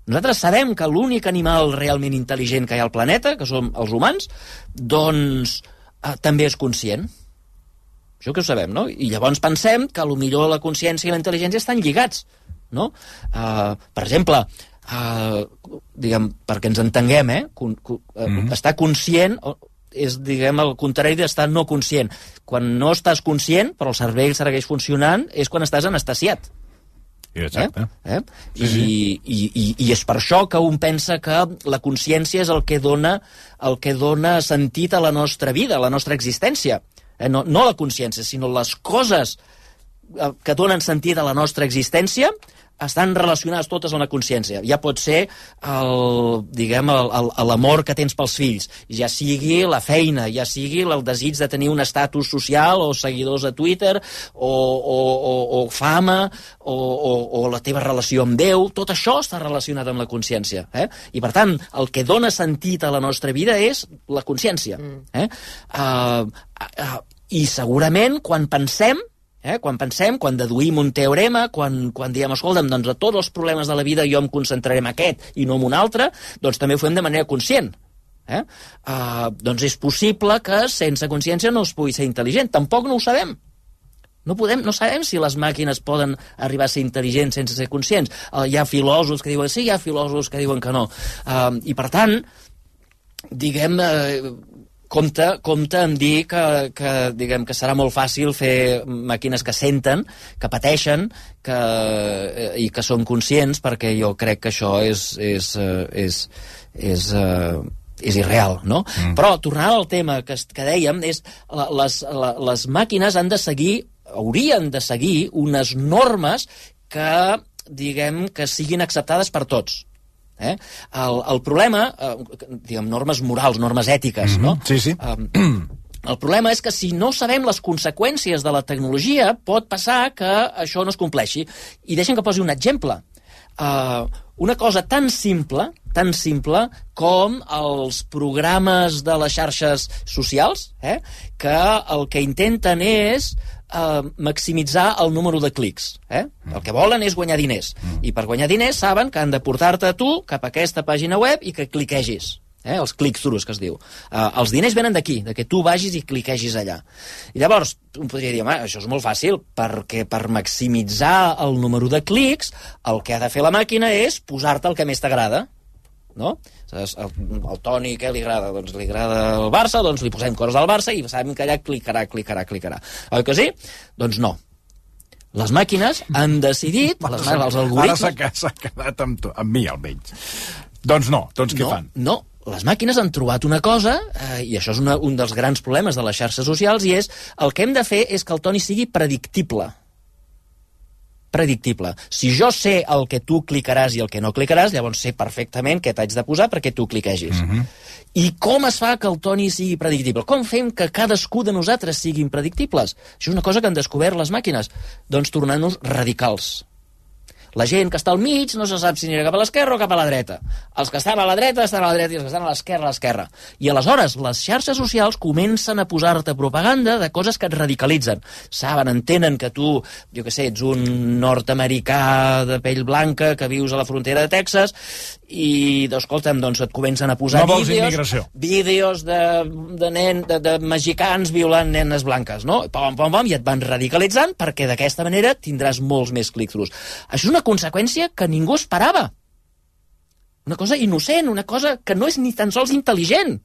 Nosaltres sabem que l'únic animal realment intel·ligent que hi ha al planeta, que som els humans, doncs eh, també és conscient. Això que ho sabem, no? I llavors pensem que potser la consciència i la intel·ligència estan lligats, no? Uh, per exemple, uh, diguem, perquè ens entenguem, eh? Con, con, uh, mm-hmm. Estar conscient és, diguem, el contrari d'estar no conscient. Quan no estàs conscient, però el cervell segueix funcionant, és quan estàs anestesiat. Exacte. Eh? Eh? Sí, I, sí. I, i, I és per això que un pensa que la consciència és el que dona, el que dona sentit a la nostra vida, a la nostra existència. Eh? No, no la consciència, sinó les coses que donen sentit a la nostra existència estan relacionades totes amb la consciència. Ja pot ser el, diguem, l'amor que tens pels fills, ja sigui la feina, ja sigui el desig de tenir un estatus social o seguidors a Twitter o, o, o, o fama o, o, o la teva relació amb Déu, tot això està relacionat amb la consciència. Eh? I per tant, el que dona sentit a la nostra vida és la consciència. Eh? Uh, uh, I segurament quan pensem Eh? Quan pensem, quan deduïm un teorema, quan, quan diem, escolta'm, doncs a tots els problemes de la vida jo em concentraré en aquest i no en un altre, doncs també ho fem de manera conscient. Eh? Uh, doncs és possible que sense consciència no es pugui ser intel·ligent. Tampoc no ho sabem. No, podem, no sabem si les màquines poden arribar a ser intel·ligents sense ser conscients. Uh, hi ha filòsofs que diuen sí, hi ha filòsofs que diuen que no. Uh, I per tant, diguem... Uh, Compte, compte en dir que, que, diguem, que serà molt fàcil fer màquines que senten, que pateixen que, i que són conscients, perquè jo crec que això és, és, és, és, és irreal, no? Mm. Però, tornant al tema que, que dèiem, és les, les màquines han de seguir, haurien de seguir unes normes que, diguem, que siguin acceptades per tots. Eh? El, el problema, eh, diguem, normes morals, normes ètiques, mm-hmm. no? Sí, sí. Um, el problema és que si no sabem les conseqüències de la tecnologia, pot passar que això no es compleixi. I deixen que posi un exemple. uh, una cosa tan simple, tan simple com els programes de les xarxes socials, eh, que el que intenten és uh, maximitzar el número de clics. Eh? El que volen és guanyar diners. I per guanyar diners saben que han de portar-te a tu cap a aquesta pàgina web i que cliquegis. Eh, els click-throughs, que es diu. Uh, els diners venen d'aquí, de que tu vagis i cliquegis allà. I llavors, un podria dir, home, això és molt fàcil, perquè per maximitzar el número de clics, el que ha de fer la màquina és posar-te el que més t'agrada, no? El, el Toni, què li agrada? Doncs li agrada el Barça, doncs li posem coses al Barça i sabem que allà clicarà, clicarà, clicarà. Oi que sí? Doncs no. Les màquines han decidit, les, els algoritmes... Ara s'ha quedat amb, tu, amb mi, almenys. Doncs no, doncs què no, fan? No, les màquines han trobat una cosa, eh, i això és una, un dels grans problemes de les xarxes socials, i és el que hem de fer és que el Toni sigui predictible. Predictible. Si jo sé el que tu clicaràs i el que no clicaràs, llavors sé perfectament què t'haig de posar perquè tu cliquegis. Mm-hmm. I com es fa que el Toni sigui predictible? Com fem que cadascú de nosaltres siguin predictibles? Això és una cosa que han descobert les màquines. Doncs tornant-nos radicals. La gent que està al mig no se sap si anirà cap a l'esquerra o cap a la dreta. Els que estan a la dreta estan a la dreta i els que estan a l'esquerra a l'esquerra. I aleshores les xarxes socials comencen a posar-te propaganda de coses que et radicalitzen. Saben, entenen que tu, jo què sé, ets un nord-americà de pell blanca que vius a la frontera de Texas i, escolta'm, doncs et comencen a posar no vols vídeos, immigració. vídeos de, de, nen, de, de mexicans violant nenes blanques, no? Pom, pom, pom, i et van radicalitzant perquè d'aquesta manera tindràs molts més click-throughs. Això és una conseqüència que ningú esperava. Una cosa innocent, una cosa que no és ni tan sols intel·ligent,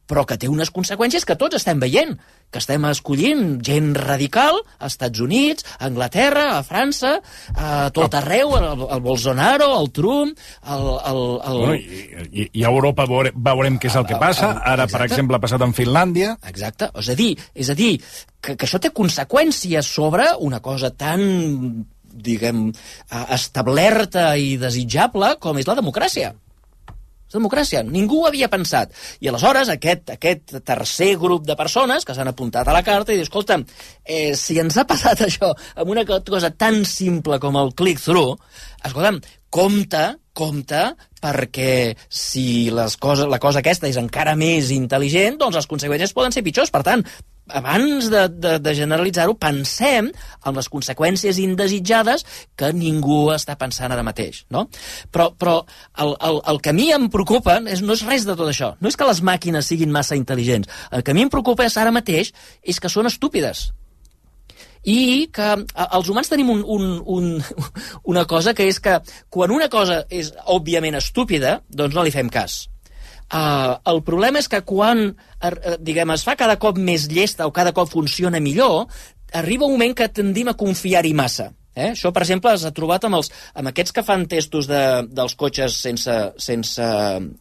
però que té unes conseqüències que tots estem veient, que estem escollint gent radical a Estats Units, a Anglaterra, a França, a tot arreu, el, el Bolsonaro, el Trump, el... el, el... Bueno, i, i, i a Europa veure, veurem què és el que passa. Ara, per exemple, ha passat en Finlàndia. Exacte. És a dir, és a dir que, que això té conseqüències sobre una cosa tan, diguem, establerta i desitjable com és la democràcia. Democràcia. Ningú ho havia pensat. I aleshores aquest, aquest tercer grup de persones que s'han apuntat a la carta i diu, escolta'm, eh, si ens ha passat això amb una cosa tan simple com el click-through, escolta'm, compte, compte, perquè si les coses, la cosa aquesta és encara més intel·ligent, doncs les conseqüències poden ser pitjors. Per tant, abans de, de, de generalitzar-ho, pensem en les conseqüències indesitjades que ningú està pensant ara mateix, no? Però, però el, el, el que a mi em preocupa és, no és res de tot això. No és que les màquines siguin massa intel·ligents. El que a mi em preocupa és, ara mateix és que són estúpides. I que els humans tenim un, un, un, una cosa, que és que quan una cosa és òbviament estúpida, doncs no li fem cas. Uh, el problema és que quan uh, diguem, es fa cada cop més llesta o cada cop funciona millor, arriba un moment que tendim a confiar-hi massa. Eh? Això, per exemple, s'ha trobat amb, els, amb aquests que fan testos de, dels cotxes sense, sense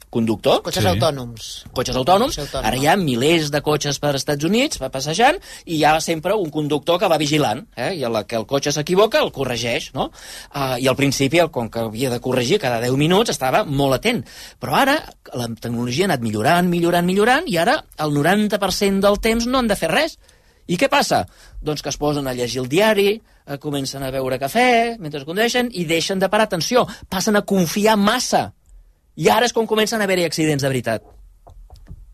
conductor. Cotxes sí. autònoms. Cotxes autònoms. Ara hi ha milers de cotxes per als Estats Units passejant i hi ha sempre un conductor que va vigilant. Eh? I a la que el cotxe s'equivoca el corregeix. No? Uh, I al principi, com que havia de corregir cada deu minuts, estava molt atent. Però ara la tecnologia ha anat millorant, millorant, millorant i ara el noranta per cent del temps no han de fer res. I què passa? Doncs que es posen a llegir el diari, eh, comencen a beure cafè mentre condueixen i deixen de parar atenció, passen a confiar massa. I ara és com comencen a haver-hi accidents de veritat.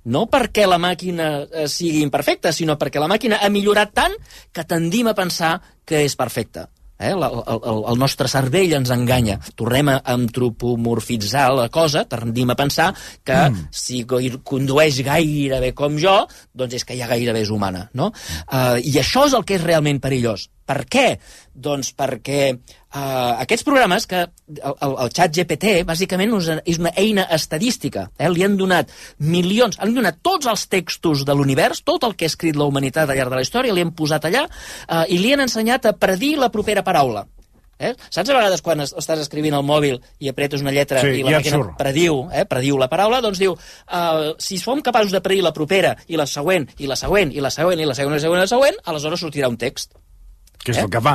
No perquè la màquina eh, sigui imperfecta, sinó perquè la màquina ha millorat tant que tendim a pensar que és perfecta. Eh? El, el, el nostre cervell ens enganya. Tornem a antropomorfitzar la cosa, tendim a pensar que mm. si condueix gairebé com jo, doncs és que ja gairebé és humana, no? Uh, I això és el que és realment perillós. Per què? Doncs perquè uh, aquests programes, que el, el, el xat G P T, bàsicament és una eina estadística. Eh? Li han donat milions, han donat tots els textos de l'univers, tot el que ha escrit la humanitat al llarg de la història, li han posat allà uh, i li han ensenyat a predir la propera paraula. Eh? Saps a vegades quan estàs escrivint al mòbil i apretes una lletra sí, i la màquina prediu, eh, prediu la paraula, doncs diu, uh, si som capaços de predir la propera i la següent, i la següent, i la següent, i la següent, i la següent, i la següent, aleshores sortirà un text. Què és eh? el que fa?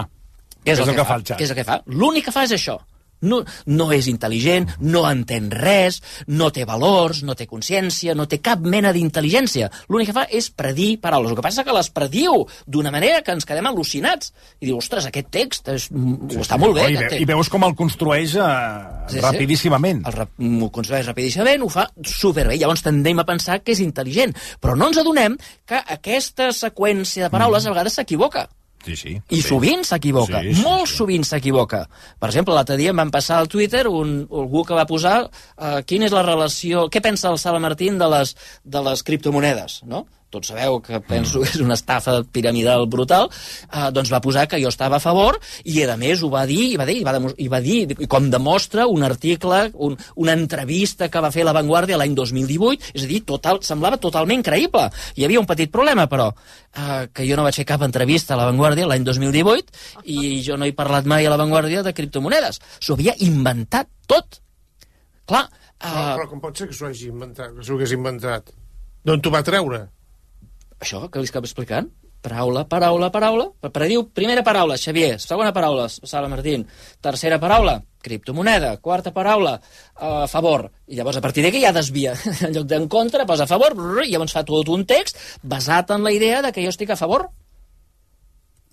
Què és, el, el que, que fa el xat? Què és el que fa? L'únic que fa és això. No, no és intel·ligent, no entén res, no té valors, no té consciència, no té cap mena d'intel·ligència. L'únic que fa és predir paraules. El que passa és que les prediu d'una manera que ens quedem al·lucinats. I diu, ostres, aquest text és, sí, està molt bé. I, ve, I veus com el construeix eh, sí, rapidíssimament. Sí. El, el construeix rapidíssimament, ho fa superbé. Llavors tendem a pensar que és intel·ligent. Però no ens adonem que aquesta seqüència de paraules mm. a vegades s'equivoca. Sí, sí. I sí. sovint s'equivoca, sí, sí, molt sí. sovint s'equivoca. Per exemple, l'altre dia em van passar al Twitter un, algú que va posar uh, quina és la relació, què pensa el Sala Martín de les, de les criptomonedes, no? Tots sabeu que penso que és una estafa piramidal brutal, eh, doncs va posar que jo estava a favor i, a més, ho va dir, i va dir, i va, i va dir, i com demostra un article, un, una entrevista que va fer La Vanguardia l'any dos mil divuit, és a dir, total, semblava totalment creïble. Hi havia un petit problema, però, eh, que jo no vaig fer cap entrevista a La Vanguardia l'any dos mil divuit i jo no he parlat mai a La Vanguardia de criptomonedes. S'ho havia inventat tot. Clar... Eh... Però, però com pot ser que s'ho hagi inventat, que s'ho hagués inventat? D'on t'ho va treure? Això que li estava explicant, paraula, paraula, paraula, prediu, primera paraula, Xavier, segona paraula, Sala Martín, tercera paraula, criptomoneda, quarta paraula, a favor, i llavors a partir d'aquí ja desvia, en lloc d'en contra, posa a favor, i llavors fa tot un text basat en la idea de que jo estic a favor.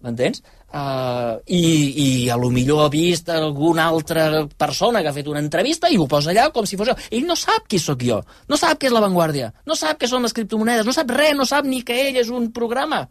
M'entens? Uh, i, I a lo millor ha vist alguna altra persona que ha fet una entrevista i ho posa allà com si fos jo. Ell no sap qui sóc jo, no sap què és La Vanguardia, no sap què són les criptomonedes, no sap res, no sap ni que ell és un programa.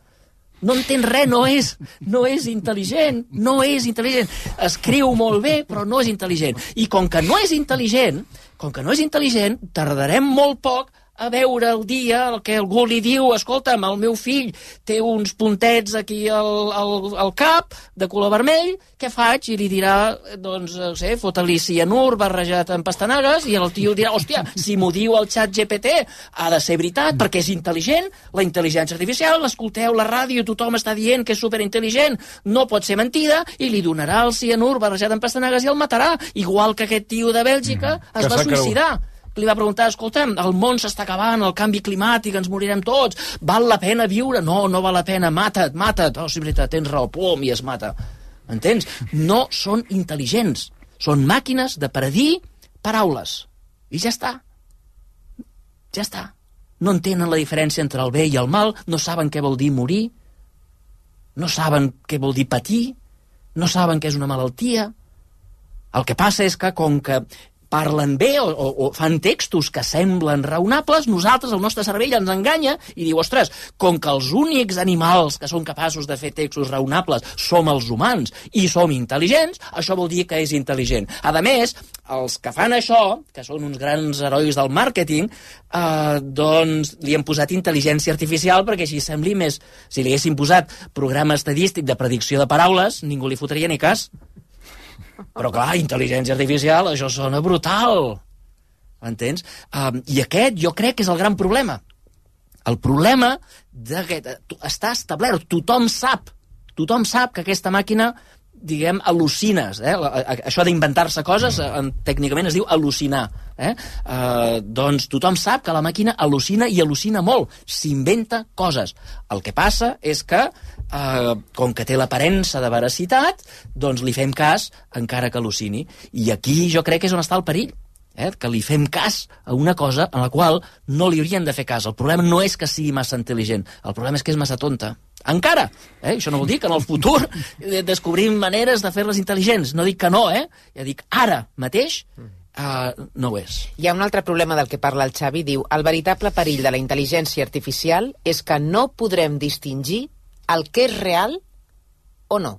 No entén res, no és, no és intel·ligent, no és intel·ligent. Escriu molt bé, però no és intel·ligent. I com que no és intel·ligent, com que no és intel·ligent, tardarem molt poc a veure el dia el que algú li diu, escolta'm, el meu fill té uns puntets aquí al, al, al cap de color vermell, què faig? I li dirà, doncs, no sé, fota-li cianur barrejat amb pastanagues, i el tio dirà, hòstia, si m'ho diu el xat G P T, ha de ser veritat, perquè és intel·ligent, la intel·ligència artificial, l'escolteu, la ràdio, tothom està dient que és superintel·ligent, no pot ser mentida, i li donarà el cianur barrejat amb pastanagues i el matarà, igual que aquest tio de Bèlgica mm, es va suïcidar. Li va preguntar, escolta'm, el món s'està acabant, el canvi climàtic, ens morirem tots, val la pena viure? No, no val la pena, mata't, mata't. Oh, sí, veritat, tens raó, pum, i es mata. Entens? No són intel·ligents, són màquines de predir paraules. I ja està. Ja està. No entenen la diferència entre el bé i el mal, no saben què vol dir morir, no saben què vol dir patir, no saben què és una malaltia. El que passa és que, com que parlen bé o, o, o fan textos que semblen raonables, nosaltres, el nostre cervell ens enganya i diu, ostres, com que els únics animals que són capaços de fer textos raonables som els humans i som intel·ligents, això vol dir que és intel·ligent. A més, els que fan això, que són uns grans herois del màrqueting, eh, doncs li han posat intel·ligència artificial perquè així sembli més... Si li haguessin posat programa estadístic de predicció de paraules, ningú li fotria ni cas. Però clar, intel·ligència artificial, això sona brutal. M'entens? Um, I aquest jo crec que és el gran problema. El problema de que està establert, tothom sap, tothom sap que aquesta màquina, diguem, al·lucines. Eh? Això d'inventar-se coses, en, tècnicament es diu al·lucinar. Eh? Uh, doncs tothom sap que la màquina al·lucina i al·lucina molt, s'inventa coses. El que passa és que Uh, com que té l'aparença de veracitat, doncs li fem cas encara que al·lucini. I aquí jo crec que és on està el perill, eh? Que li fem cas a una cosa en la qual no li haurien de fer cas. El problema no és que sigui massa intel·ligent, el problema és que és massa tonta. Encara! Eh? Això no vol dir que en el futur descobrim maneres de fer-les intel·ligents. No dic que no, eh? Ja dic, ara mateix Uh, no ho és. Hi ha un altre problema del que parla el Xavi, diu, el veritable perill de la intel·ligència artificial és que no podrem distingir el que és real o no.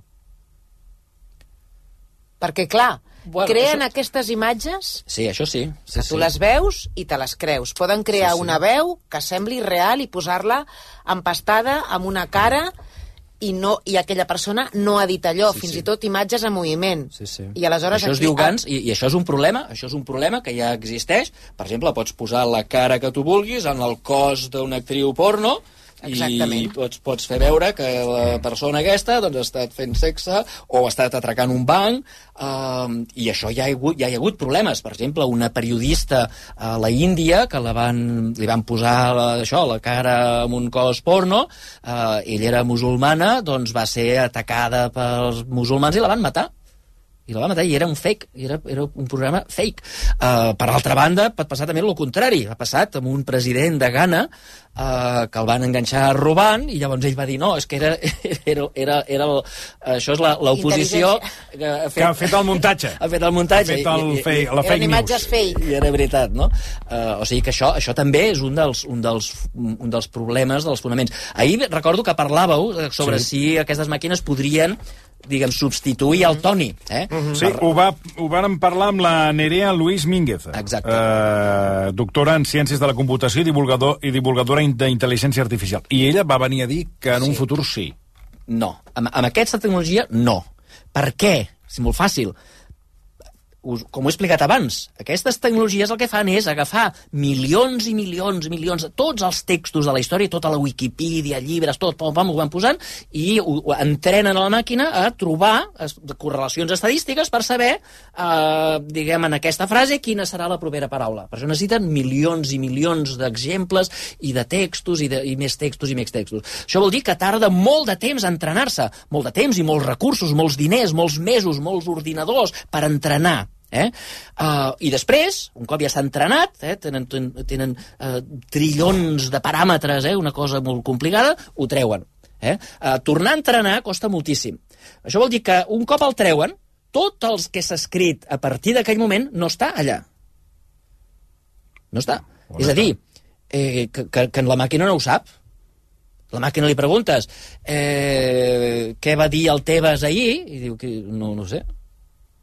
Perquè, clar, bueno, creen això... aquestes imatges... Sí, això sí. sí que tu sí. les veus i te les creus. Poden crear sí, sí. una veu que sembli real i posar-la empastada amb una cara i, no, i aquella persona no ha dit allò, sí, fins sí. i tot imatges en moviment. Sí, sí. I aleshores això es aquí... diu Gans, i, i això és un problema, això és un problema que ja existeix. Per exemple, pots posar la cara que tu vulguis en el cos d'una actriu porno, exactament. I pots, pots fer veure que la persona aquesta doncs, ha estat fent sexe o ha estat atracant un banc, um, i això ja hi, ha hagut, ja hi ha hagut problemes. Per exemple, una periodista a la Índia que la van, li van posar la, això, la cara amb un cos porno, uh, ella era musulmana, doncs va ser atacada pels musulmans i la van matar. i la va matar, i era un fake, era, era un programa fake. Uh, per altra banda, pot passar també el contrari. Ha passat amb un president de Ghana uh, que el van enganxar robant, i llavors ell va dir, no, és que era, era, era, era el, això és l'oposició que ha fet, que ha fet el muntatge. Ha fet el muntatge. Ha fet el i, i, fake, la fake news. Fake. I era veritat, no? Uh, o sigui que això, això també és un dels, un, dels, un dels problemes, dels fonaments. Ahir recordo que parlàveu sobre sí. si aquestes màquines podrien diguem, substituir el Toni. Eh? Uh-huh. Sí, ho, va, ho vàrem parlar amb la Nerea Luis Mínguez, eh, doctora en Ciències de la Computació i, divulgador, i divulgadora d'intel·ligència artificial. I ella va venir a dir que en sí. un futur sí. No. Amb, amb aquesta tecnologia, no. Per què? És molt fàcil. Us, com ho he explicat abans, aquestes tecnologies el que fan és agafar milions i milions i milions, tots els textos de la història, tota la Wikipedia, llibres, tot, pom, pom, ho van posant, i ho, ho entrenen a la màquina a trobar es, correlacions estadístiques per saber, eh, diguem, en aquesta frase, quina serà la propera paraula. Per això necessiten milions i milions d'exemples i de textos, i, de, i més textos i més textos. Això vol dir que tarda molt de temps a entrenar-se, molt de temps i molts recursos, molts diners, molts mesos, molts ordinadors per entrenar. Eh? Uh, I després, un cop ja està entrenat, eh, tenen, tenen uh, trillons de paràmetres, eh, una cosa molt complicada, ho treuen. Eh? Uh, tornar a entrenar costa moltíssim. Això vol dir que un cop el treuen, tot el que s'ha escrit a partir d'aquell moment no està allà. No està. On És està? a dir, eh, que, que, que la màquina no ho sap. La màquina li preguntes eh, què va dir el Tebas ahir, i diu que no, no sé.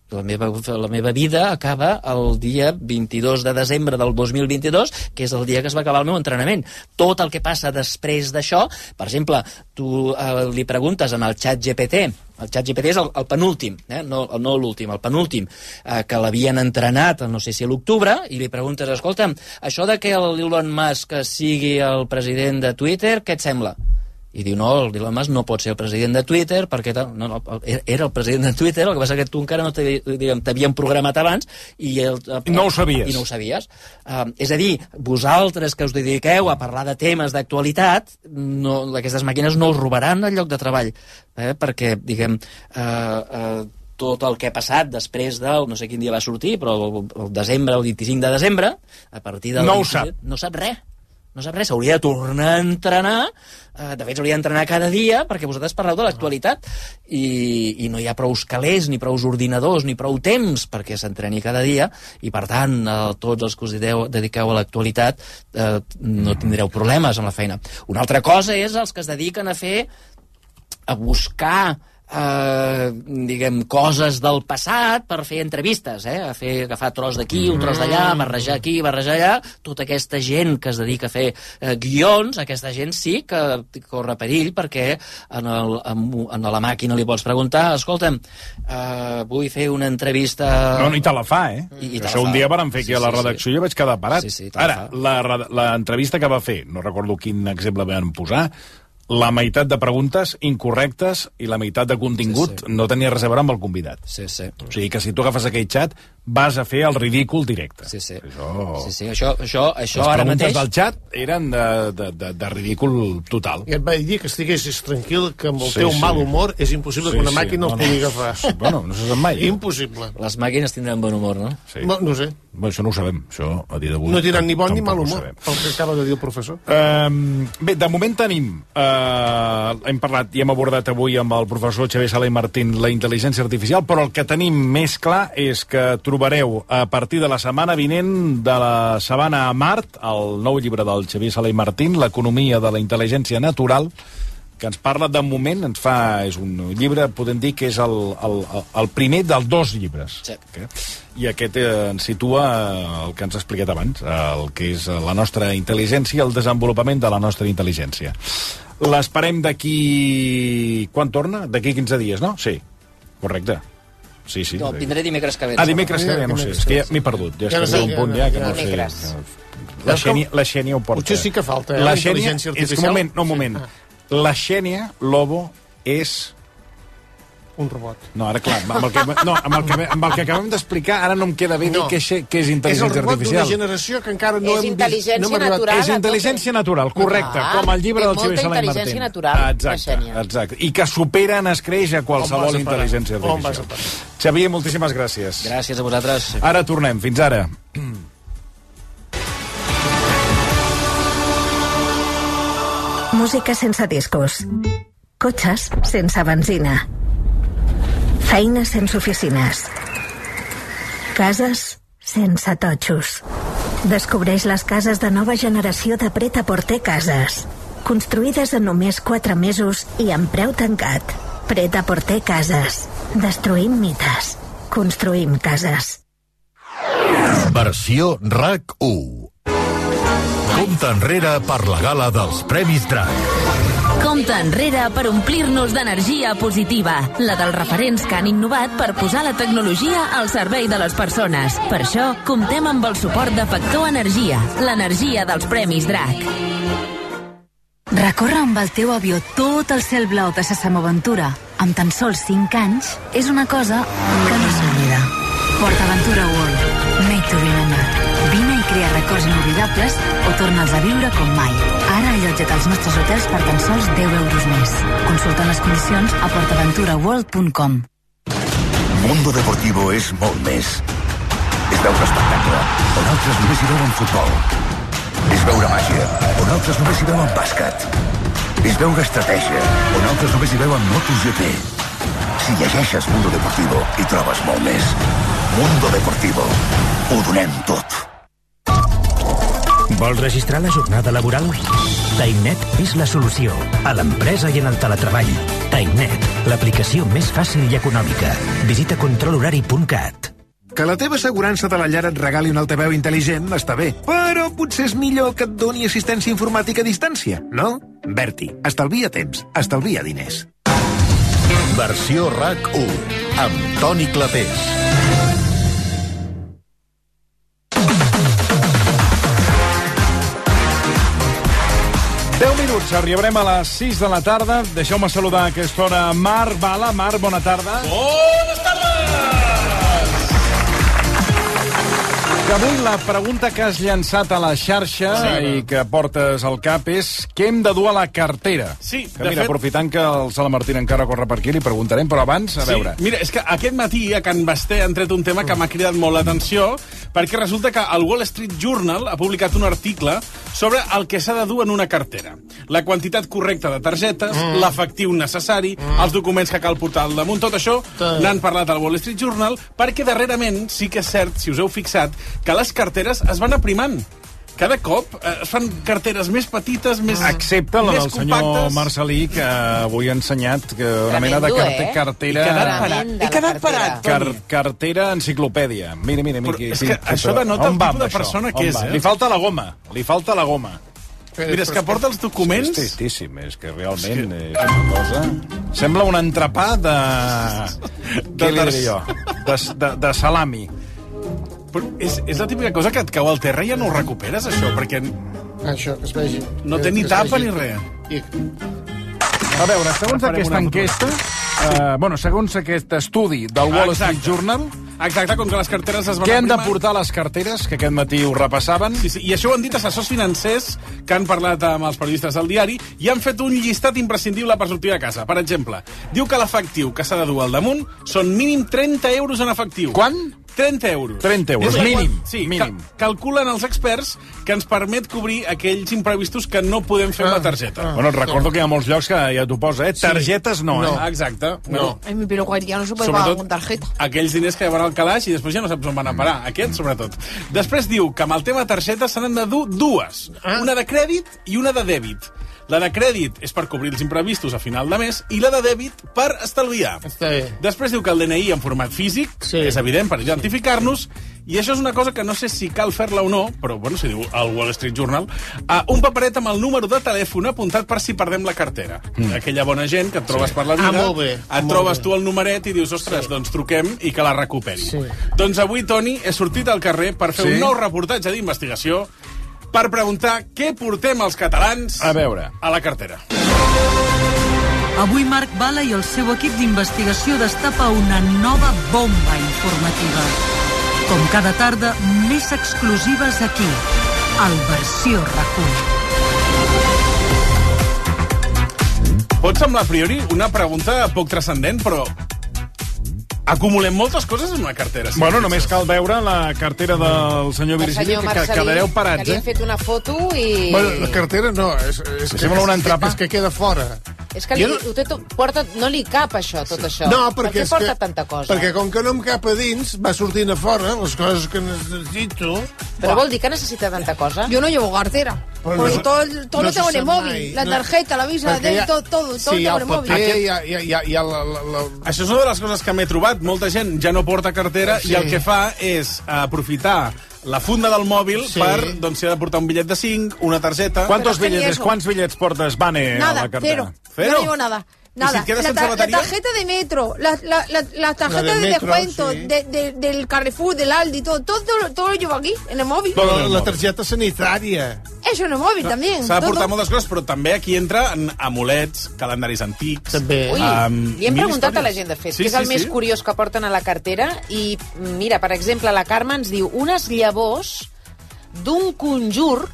La meva, la meva vida acaba el dia vint-i-dos de desembre del dos mil vint-i-dos, que és el dia que es va acabar el meu entrenament. Tot el que passa després d'això, per exemple, tu eh, li preguntes en el xat G P T, el xat G P T és el, el penúltim, eh? no, no l'últim, el penúltim, eh, que l'havien entrenat, no sé si a l'octubre, i li preguntes, escolta, això de que l'Elon Musk sigui el president de Twitter, què et sembla? I diu, no, el Elon Musk no pot ser el president de Twitter, perquè no, no, era el president de Twitter, el que passa que tu encara no t'havien programat abans i el, no ho sabies. I no ho sabies. Uh, és a dir, vosaltres que us dediqueu a parlar de temes d'actualitat, no, aquestes màquines no us robaran el lloc de treball, eh? perquè, diguem, uh, uh, tot el que ha passat després del, no sé quin dia va sortir, però el, el desembre, el vint-i-cinc de desembre, a partir del... No ho sap. No sap res. No sap res, s'hauria de tornar a entrenar, eh, de fet s'hauria d'entrenar cada dia perquè vosaltres parleu de l'actualitat i, i no hi ha prou calés, ni prou ordinadors, ni prou temps perquè s'entreni cada dia i per tant eh, tots els que us dediqueu, dediqueu a l'actualitat eh, no tindreu problemes amb la feina. Una altra cosa és els que es dediquen a fer, a buscar Uh, diguem, coses del passat per fer entrevistes, eh? a fer, agafar tros d'aquí, un tros d'allà, barrejar aquí, barrejar allà, tota aquesta gent que es dedica a fer uh, guions, aquesta gent sí que corre perill perquè en, el, en, en la màquina li pots preguntar, escolta'm, uh, vull fer una entrevista... No, i te la fa, eh? I, i Això un dia vàrem fer aquí sí, a la redacció i sí. jo vaig quedar parat. Sí, sí, Ara, l'entrevista que va fer, no recordo quin exemple van posar, la meitat de preguntes incorrectes i la meitat de contingut sí, sí. no tenia res a veure amb el convidat. Sí, sí. O sigui que si tu agafes aquell xat vas a fer el ridícul directe. Sí, sí. Això... Sí, sí. Això, això, això Les ara preguntes mateix... del xat eren de, de, de, de ridícul total. I et vaig dir que estiguessis tranquil, que amb el sí, teu sí. mal humor és impossible sí, que una màquina sí. el pugui agafar. Sí, bueno, no se sap mai. Eh? Impossible. Les màquines tindran bon humor, no? Sí. No, no sé. Bé, això no ho sabem. Això, a dia d'avui... No tindran ni bon ni mal humor, pel que acaba de dir el professor. Uh, bé, de moment tenim... Uh, hem parlat i hem abordat avui amb el professor Xavier Sala i Martín la intel·ligència artificial, però el que tenim més clar és que trobareu a partir de la setmana vinent de la Sabana a Mart, el nou llibre del Xavier Sala i Martín, l'economia de la intel·ligència natural, que ens parla de moment, ens fa, és un llibre, podem dir que és el, el, el primer dels dos llibres. Sí. Okay? I aquest eh, ens situa el que ens ha explicat abans, el que és la nostra intel·ligència, el desenvolupament de la nostra intel·ligència. L'esperem d'aquí... Quan torna? D'aquí quinze dies, no? Sí, correcte. Sí, sí. No, vindré dimecres que ve. Ah, dimecres que ve, no sé, és que ja m'he perdut. Ja, ja és que un punt ja que no sé. La Xènia, la Xènia ho porta. Potser sí que falta, eh? La intel·ligència artificial. És que un moment, no, un moment. La Xènia Lobo és un robot. No, ara clar, amb el que, no, amb el que, amb el que acabem d'explicar, ara no em queda bé No. dir què, què és intel·ligència És el robot artificial. d'una generació que encara no És hem intel·ligència vist. No hem arribat- natural. És intel·ligència natural, correcte, Ah, com el llibre té del molta Xavier Sala i Martín. intel·ligència natural, la Exacte, Xènia. exacte. I que supera en escreix a On qualsevol vas a parar? intel·ligència On vas a artificial. Xavier, moltíssimes gràcies. Gràcies a vosaltres. Ara tornem, fins ara. Música sense discos. Cotxes sense benzina. Feines sense oficines. Cases sense totxos. Descobreix les cases de nova generació de Pret-a-Porter Cases. Construïdes en només quatre mesos i amb preu tancat. Pret-a-Porter Cases. Destruïm mites. Construïm cases. Versió R A C u. Compte enrere per la gala dels Premis Drac. Compte enrere per omplir-nos d'energia positiva, la dels referents que han innovat per posar la tecnologia al servei de les persones. Per això, comptem amb el suport de Factor Energia, l'energia dels Premis Drac. Recórrer amb el teu avió tot el cel blau de sa Samoventura amb tan sols cinc anys és una cosa que no s'oblida. PortAventura World, made to remember. Vine i crea records inoblidables o torna'ls a viure com mai. Ara allotja't als nostres hotels per tan sols deu euros més. Consulta les condicions a portaventura world punt com. Mundo Deportivo és molt més. És veure espectacle, on altres només hi veuen futbol. És veure màgia, on altres només hi veuen bàsquet. És veure estratègia, on altres només hi veuen MotoGP. Si llegeixes Mundo Deportivo, hi trobes molt més. Mundo Deportivo. Ho donem tot. Vols registrar la jornada laboral? TimeNet és la solució a l'empresa i en el teletreball. TimeNet, l'aplicació més fàcil i econòmica. Visita control horari punt cat. Que la teva assegurança de la llar et regali un altaveu intel·ligent està bé, però potser és millor que et doni assistència informàtica a distància, no? Berti, estalvia temps, estalvia diners. Versió R A C u, amb Toni Clapés. deu minuts, arribarem a les sis de la tarda. Deixeu-me saludar a aquesta hora Marc Bala. Marc, bona tarda. Bones tardes! Que avui la pregunta que has llançat a la xarxa Sí. i que portes al cap és què hem de dur a la cartera. Sí, que de mira, fet- aprofitant que el Sala Martín encara corre per aquí, li preguntarem, però abans, a veure. Sí, mira, és que aquest matí a Can Basté han tret un tema que m'ha cridat molt l'atenció, perquè resulta que el Wall Street Journal ha publicat un article sobre el que s'ha de dur en una cartera. La quantitat correcta de targetes, mm. l'efectiu necessari, mm. els documents que cal portar al damunt, tot això Sí. n'han parlat al Wall Street Journal, perquè darrerament sí que és cert, si us heu fixat, que les carteres es van aprimant. Cada cop eh, es fan carteres més petites, més Excepte la més del senyor compactes. Marcelí, que avui ha ensenyat que una mena de Tremendo, carte, eh? cartera... He quedat parat. He quedat parat, Car Toni. cartera enciclopèdia. Mira, mira, mira. Però és que això denota el On va tipus de amb això? persona que On és, va? eh? Li falta la goma, li falta la goma. Mira, és que porta els documents... És tristíssim, és que realment és una cosa... Sembla un entrepà de... Què li diré jo? De, de, de salami. Però és, és la típica cosa que et cau al terra i ja no ho recuperes, això, perquè Això, que es vegi. no té Que ni es tapa vegi. ni res. I... A veure, segons Farem aquesta una enquesta, eh, bueno, segons aquest estudi del Wall Street Exacte. Journal, Exacte, com que les carteres es van què han de aprimant. portar les carteres, que aquest matí ho repassaven? Sí, sí, i això ho han dit assessors financers que han parlat amb els periodistes del diari i han fet un llistat imprescindible per sortir de casa. Per exemple, diu que l'efectiu que s'ha de dur al damunt són mínim trenta euros en efectiu. Quan? trenta euros. trenta euros, És la mínim, qual- Sí, mínim. Ca calculen els experts que ens permet cobrir aquells imprevistos que no podem fer amb la targeta. Bueno, et recordo que hi ha molts llocs que ja t'ho posa, eh? Targetes no, no. eh? Exacte. No. Ay, pero cualquiera no se puede pagar Sobretot con tarjeta. aquells diners que van al calaix i després ja no saps on van a parar. Aquests, sobretot. Després diu que amb el tema targetes se n'han de dur dues. Una de crèdit i una de dèbit. La de crèdit és per cobrir els imprevistos a final de mes i la de dèbit per estalviar. Està bé. Després diu que el D N I en format físic, sí. és evident, per identificar-nos, i això és una cosa que no sé si cal fer-la o no, però bueno, si diu el Wall Street Journal, uh, un paperet amb el número de telèfon apuntat per si perdem la cartera. Mm. Aquella bona gent que et trobes Sí. per la vida, Ah, molt bé, et molt trobes bé. tu el numeret i dius, ostres, sí. doncs truquem i que la recuperi. Sí. Doncs avui, Toni, he sortit al carrer per fer Sí? un nou reportatge d'investigació per preguntar què portem els catalans A veure. a la cartera. Avui Marc Bala i el seu equip d'investigació destapa una nova bomba informativa. Com cada tarda, més exclusives aquí, al Versió RAC u. Pot semblar a priori una pregunta poc transcendent, però acumulem moltes coses en una cartera. Sí, bueno, només cal veure la cartera del senyor Virgili, que quedareu parats, que li eh? han fet una foto i... Bueno, la cartera no, és, és, que, sembla un entrepà. és que queda fora. És que li, no... ho té tot, porta, no li cap això, tot això. No, per perquè què és porta que, tanta cosa? Perquè com que no em cap a dins, va sortint a fora les coses que necessito. Però vol dir que necessita tanta cosa? Yo no llevo cartera. Pues Porque no, todo, todo no lo tengo se en el sabe móvil. mai, La no. tarjeta, la visa, Perquè de, ja- todo, todo, todo Sí, tengo el en el móvil. paper, hi ha, hi ha, hi ha, hi ha la, la, la... Això és una de les coses que m'he trobat. Molta gent ja no porta cartera Sí. i el que fa és aprofitar la funda del mòbil Sí. per, doncs, si ha de portar un bitllet de cinc, una targeta... ¿Cuántos Pero es que ni billetes, eso. ¿Cuántos billetes portas, Vane, a Nada, la cartera? cero. ¿Cero? Yo no llevo nada. ¿Y Nada. si quedas la, sin ta- la batería? tarjeta de metro, la, la, la, la tarjeta La de de metro, descuento, sí. de, de, del Carrefour, del Aldi, todo, todo, todo, todo lo llevo aquí, en el móvil. Però la, la targeta sanitària. Eso en el móvil también. S'ha de todo. portar moltes coses, però també aquí entra en amulets, calendaris antics... També. Ui, Um, li hem mil preguntat a la històries. gent, de fet, Sí, què és sí, el més sí. curiós que porten a la cartera. I, mira, per exemple, la Carme ens diu unes llavors d'un conjur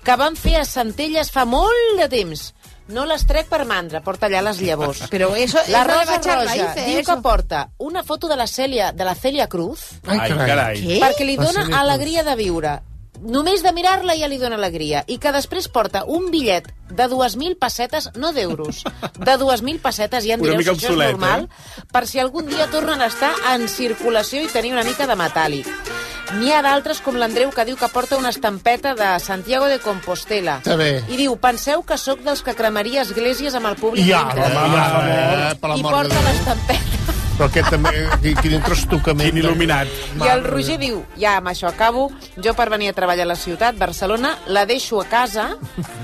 que van fer a Centelles fa molt de temps. No les trec per mandra, porta allà les llavors. Però eso, La eso de Rosa baixar Roja raíces, diu eso. que porta una foto de la Cèlia, de la Cèlia Cruz, Ai, Ai, carai. carai. Què? perquè li La dona Cèlia Cruz. alegria de viure. Només de mirar-la ja li dona alegria. I que després porta un bitllet de dues mil pessetes, no d'euros, de dues mil pessetes, ja en Una direu si mica això és obsolet, normal, eh? per si algun dia tornen a estar en circulació i tenir una mica de metàl·lic. N'hi ha d'altres, com l'Andreu, que diu que porta una estampeta de Santiago de Compostela. Està bé. I diu, penseu que sóc dels que cremaria esglésies amb el públic Ja, dintre. home, ja, per I l'amor de porta Déu. l'estampeta. Però aquest també, quin, quin trastocament. Quin il·luminat. I el Roger diu, ja amb això acabo, jo per venir a treballar a la ciutat, Barcelona, la deixo a casa,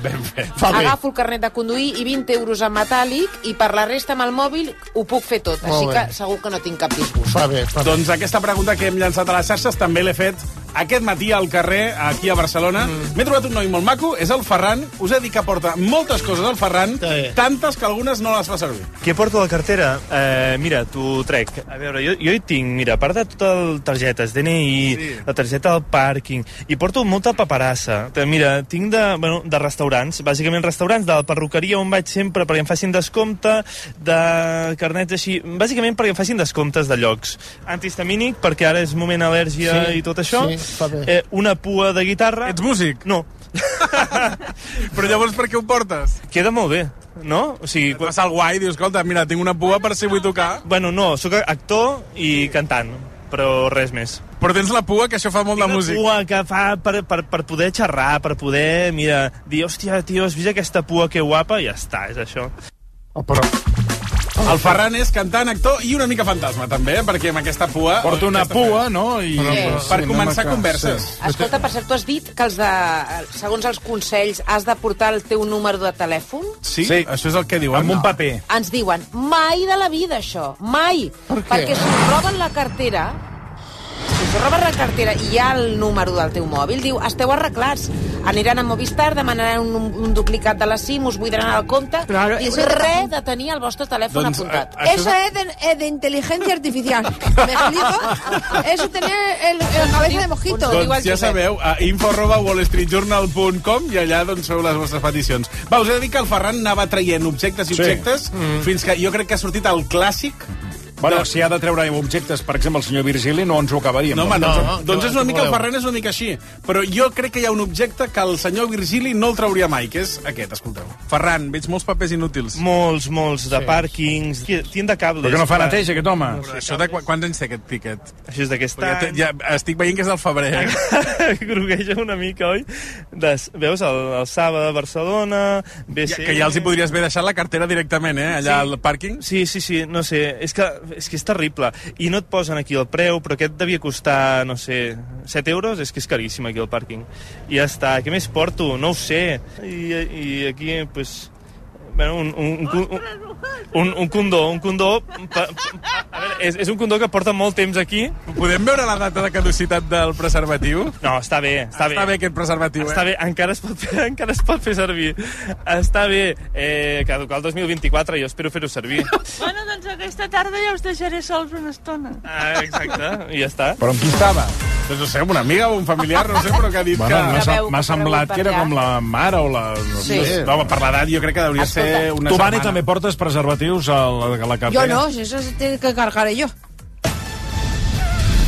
Ben fet. Fa bé. agafo el carnet de conduir i vint euros en metàl·lic i per la resta amb el mòbil ho puc fer tot. Molt Així bé. que segur que no tinc cap disgust. Fa bé, fa bé. Doncs aquesta pregunta que hem llançat a les xarxes també l'he fet aquest matí al carrer, aquí a Barcelona. Mm. M'he trobat un noi molt maco, és el Ferran. Us he dit que porta moltes coses al Ferran, Sí. tantes que algunes no les fa servir. Què porto a la cartera? Eh, mira, t'ho trec. A veure, jo, jo hi tinc, mira, a part de totes targetes, D N I, sí. La targeta del pàrquing, i porto molta paperassa. Mira, tinc de, bueno, de restaurants, bàsicament restaurants, de la perruqueria on vaig sempre perquè em facin descompte, de carnets així, bàsicament perquè em facin descomptes de llocs. Antihistamínic, perquè ara és moment al·lèrgia Sí, i tot això. sí, fa bé. Eh, una pua de guitarra. Ets músic? No. Però llavors per què ho portes? Queda molt bé, no? O sigui, Et passa el guai, dius, escolta, mira, tinc una pua per si vull tocar. Bueno, no, sóc actor i cantant, però res més. Però tens la pua, que això fa molt de músic. Tinc una pua que fa per, per, per poder xerrar, per poder, mira, dir, hòstia, tio, has vist aquesta pua que guapa? I ja està, és això. Oh, però... El Ferran és cantant, actor i una mica fantasma, també, eh? Perquè amb aquesta pua... Porta una aquesta pua, fe- no? I... Però, però, Sí. per Sí, començar no m'ha- converses. sí. Escolta, per cert, tu has dit que els de, segons els consells has de portar el teu número de telèfon? Sí, Sí. això és el que diuen. Amb un paper. Ens diuen, mai de la vida això, mai. Per què? Perquè si us roben la cartera, si us roben la cartera i hi ha el número del teu mòbil, diu, esteu arreglats. Aniran a Movistar, demanaran un, un duplicat de la SIM, us buidaran el compte, Claro, i eso- res de tenir el vostre telèfon Doncs, apuntat. eh, Eso es de, es de inteligencia artificial. ¿Me explico? Eso es tener el, el cabeza de mosquito. Doncs ja sabeu, a info arroba wallstreetjournal punt com i allà doncs feu les vostres peticions. Va, us he de dir que el Ferran anava traient objectes i Sí. objectes Mm. fins que jo crec que ha sortit el clàssic. Bueno, de- si ha de treure objectes, per exemple, el senyor Virgili, no ens ho acabaríem. No, home, No, doncs, no, doncs què és una vol- mica, el què voleu? Ferran és una mica així. Però jo crec que hi ha un objecte que el senyor Virgili no el trauria mai, que és aquest, escolteu. Ferran, veig molts papers inútils. Molts, molts, de Sí. pàrquings, tinc de cables. Però que no fa clar. neteja, aquest home. Però això de qu quants anys té aquest tiquet? Això és d'aquest Ja, té- any. ja estic veient que és del febrer. Eh? Grogueja una mica, oi? Des, veus, el, el Saba de Barcelona, B C... Ja, que ja els hi podries haver deixat la cartera directament, eh? Allà Sí. al pàrquing. Sí, sí, sí, no sé, és que, és que és terrible. I no et posen aquí el preu, però aquest devia costar, no sé, set euros, és que és caríssim aquí al pàrquing. I ja està, què més porto? No ho sé. I, i aquí, pues... Bueno, un, un, un, un, un, un condó, un condó... Pa, pa, a veure, és, és un condó que porta molt temps aquí. Podem veure la data de caducitat del preservatiu? No, està bé, està, està bé. bé aquest preservatiu, està eh? bé, encara es, pot fer, encara es pot fer servir. Està bé. Eh, caducar el dos mil vint-i-quatre, jo espero fer-ho servir. Bueno, doncs aquesta tarda ja us deixaré sols una estona. Ah, exacte, i ja està. Però amb qui estava? Doncs no sé, amb una amiga o un familiar, no sé, però que ha dit bueno, que... M'ha semblat que era com la mare o la... Sí. No, per l'edat jo crec que hauria Escolta. ser una tu, Vani, setmana. també portes preservatius a la, a la cartera? Yo no, eso se tiene que cargar yo.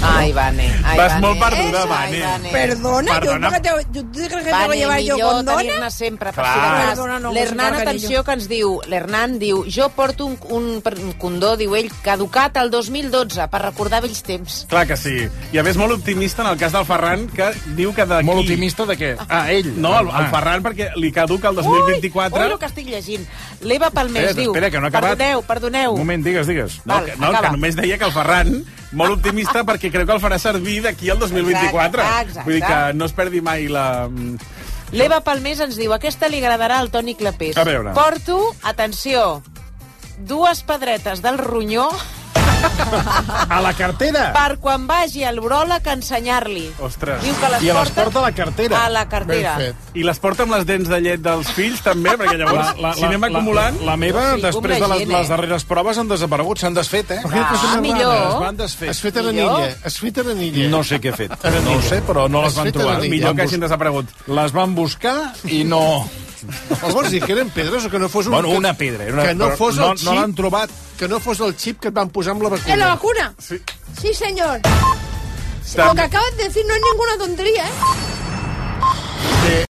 Ai, Vane. Ai, Vas Vane. molt perduda, Eso, Vane. Vane. Perdona, Perdona. yo porque te, ¿tú crees que Vane, te voy a llevar yo millor condona? tenir-ne sempre. Per Clar. si de cas. Perdona, no, L'Hernan, pues, atenció, que ens diu, l'Hernan diu, jo porto un, un, un condó, diu ell, caducat el dos mil dotze, per recordar vells temps. Clar que sí. I a més molt optimista en el cas del Ferran, que diu que d'aquí... Molt optimista de què? Ah, ell. No, el, el Ferran, perquè li caduca el dos mil vint-i-quatre. Ui, ui, el que estic llegint. L'Eva Palmés Espera, diu... espera, que no ha acabat. Perdoneu, perdoneu. Un moment, digues, digues. No, Val, que, no acaba. que només deia que el Ferran, molt optimista, perquè creu que el farà servir d'aquí al dos mil vint-i-quatre. Exacte, exacte. Vull dir que no es perdi mai la... L'Eva Palmés ens diu, aquesta li agradarà al Toni Clapés. A veure. Porto, atenció, dues pedretes del ronyó A la cartera? per quan vagi al bròleg a ensenyar-li. Ostres. Diu que les I les porta porta a la cartera? a la cartera. I les porta amb les dents de llet dels fills, també, perquè llavors, la, la, si anem acumulant... La, la meva, Sí, després com de la les, gent, eh? les darreres proves, han desaparegut, s'han desfet, eh? Ah, millor. Es van desfer. Has fet a Millor? l'anilla. Has fet a l'anilla. No sé què he fet. No ho sé, però no les Has van fet a trobar. l'anilla. Millor que Van hagin bus- desaparegut. Les van buscar i no... Què vols dir, que eren pedres o que no fos un... Bueno, que- una pedra. Una... Que no però fos no, el xip... no l'han trobat. Que no fos el xip que et van posar amb la vacuna. ¿En la vacuna? Sí. Sí, señor. Tam- Lo que acabas de decir no es ninguna tontería, ¿eh?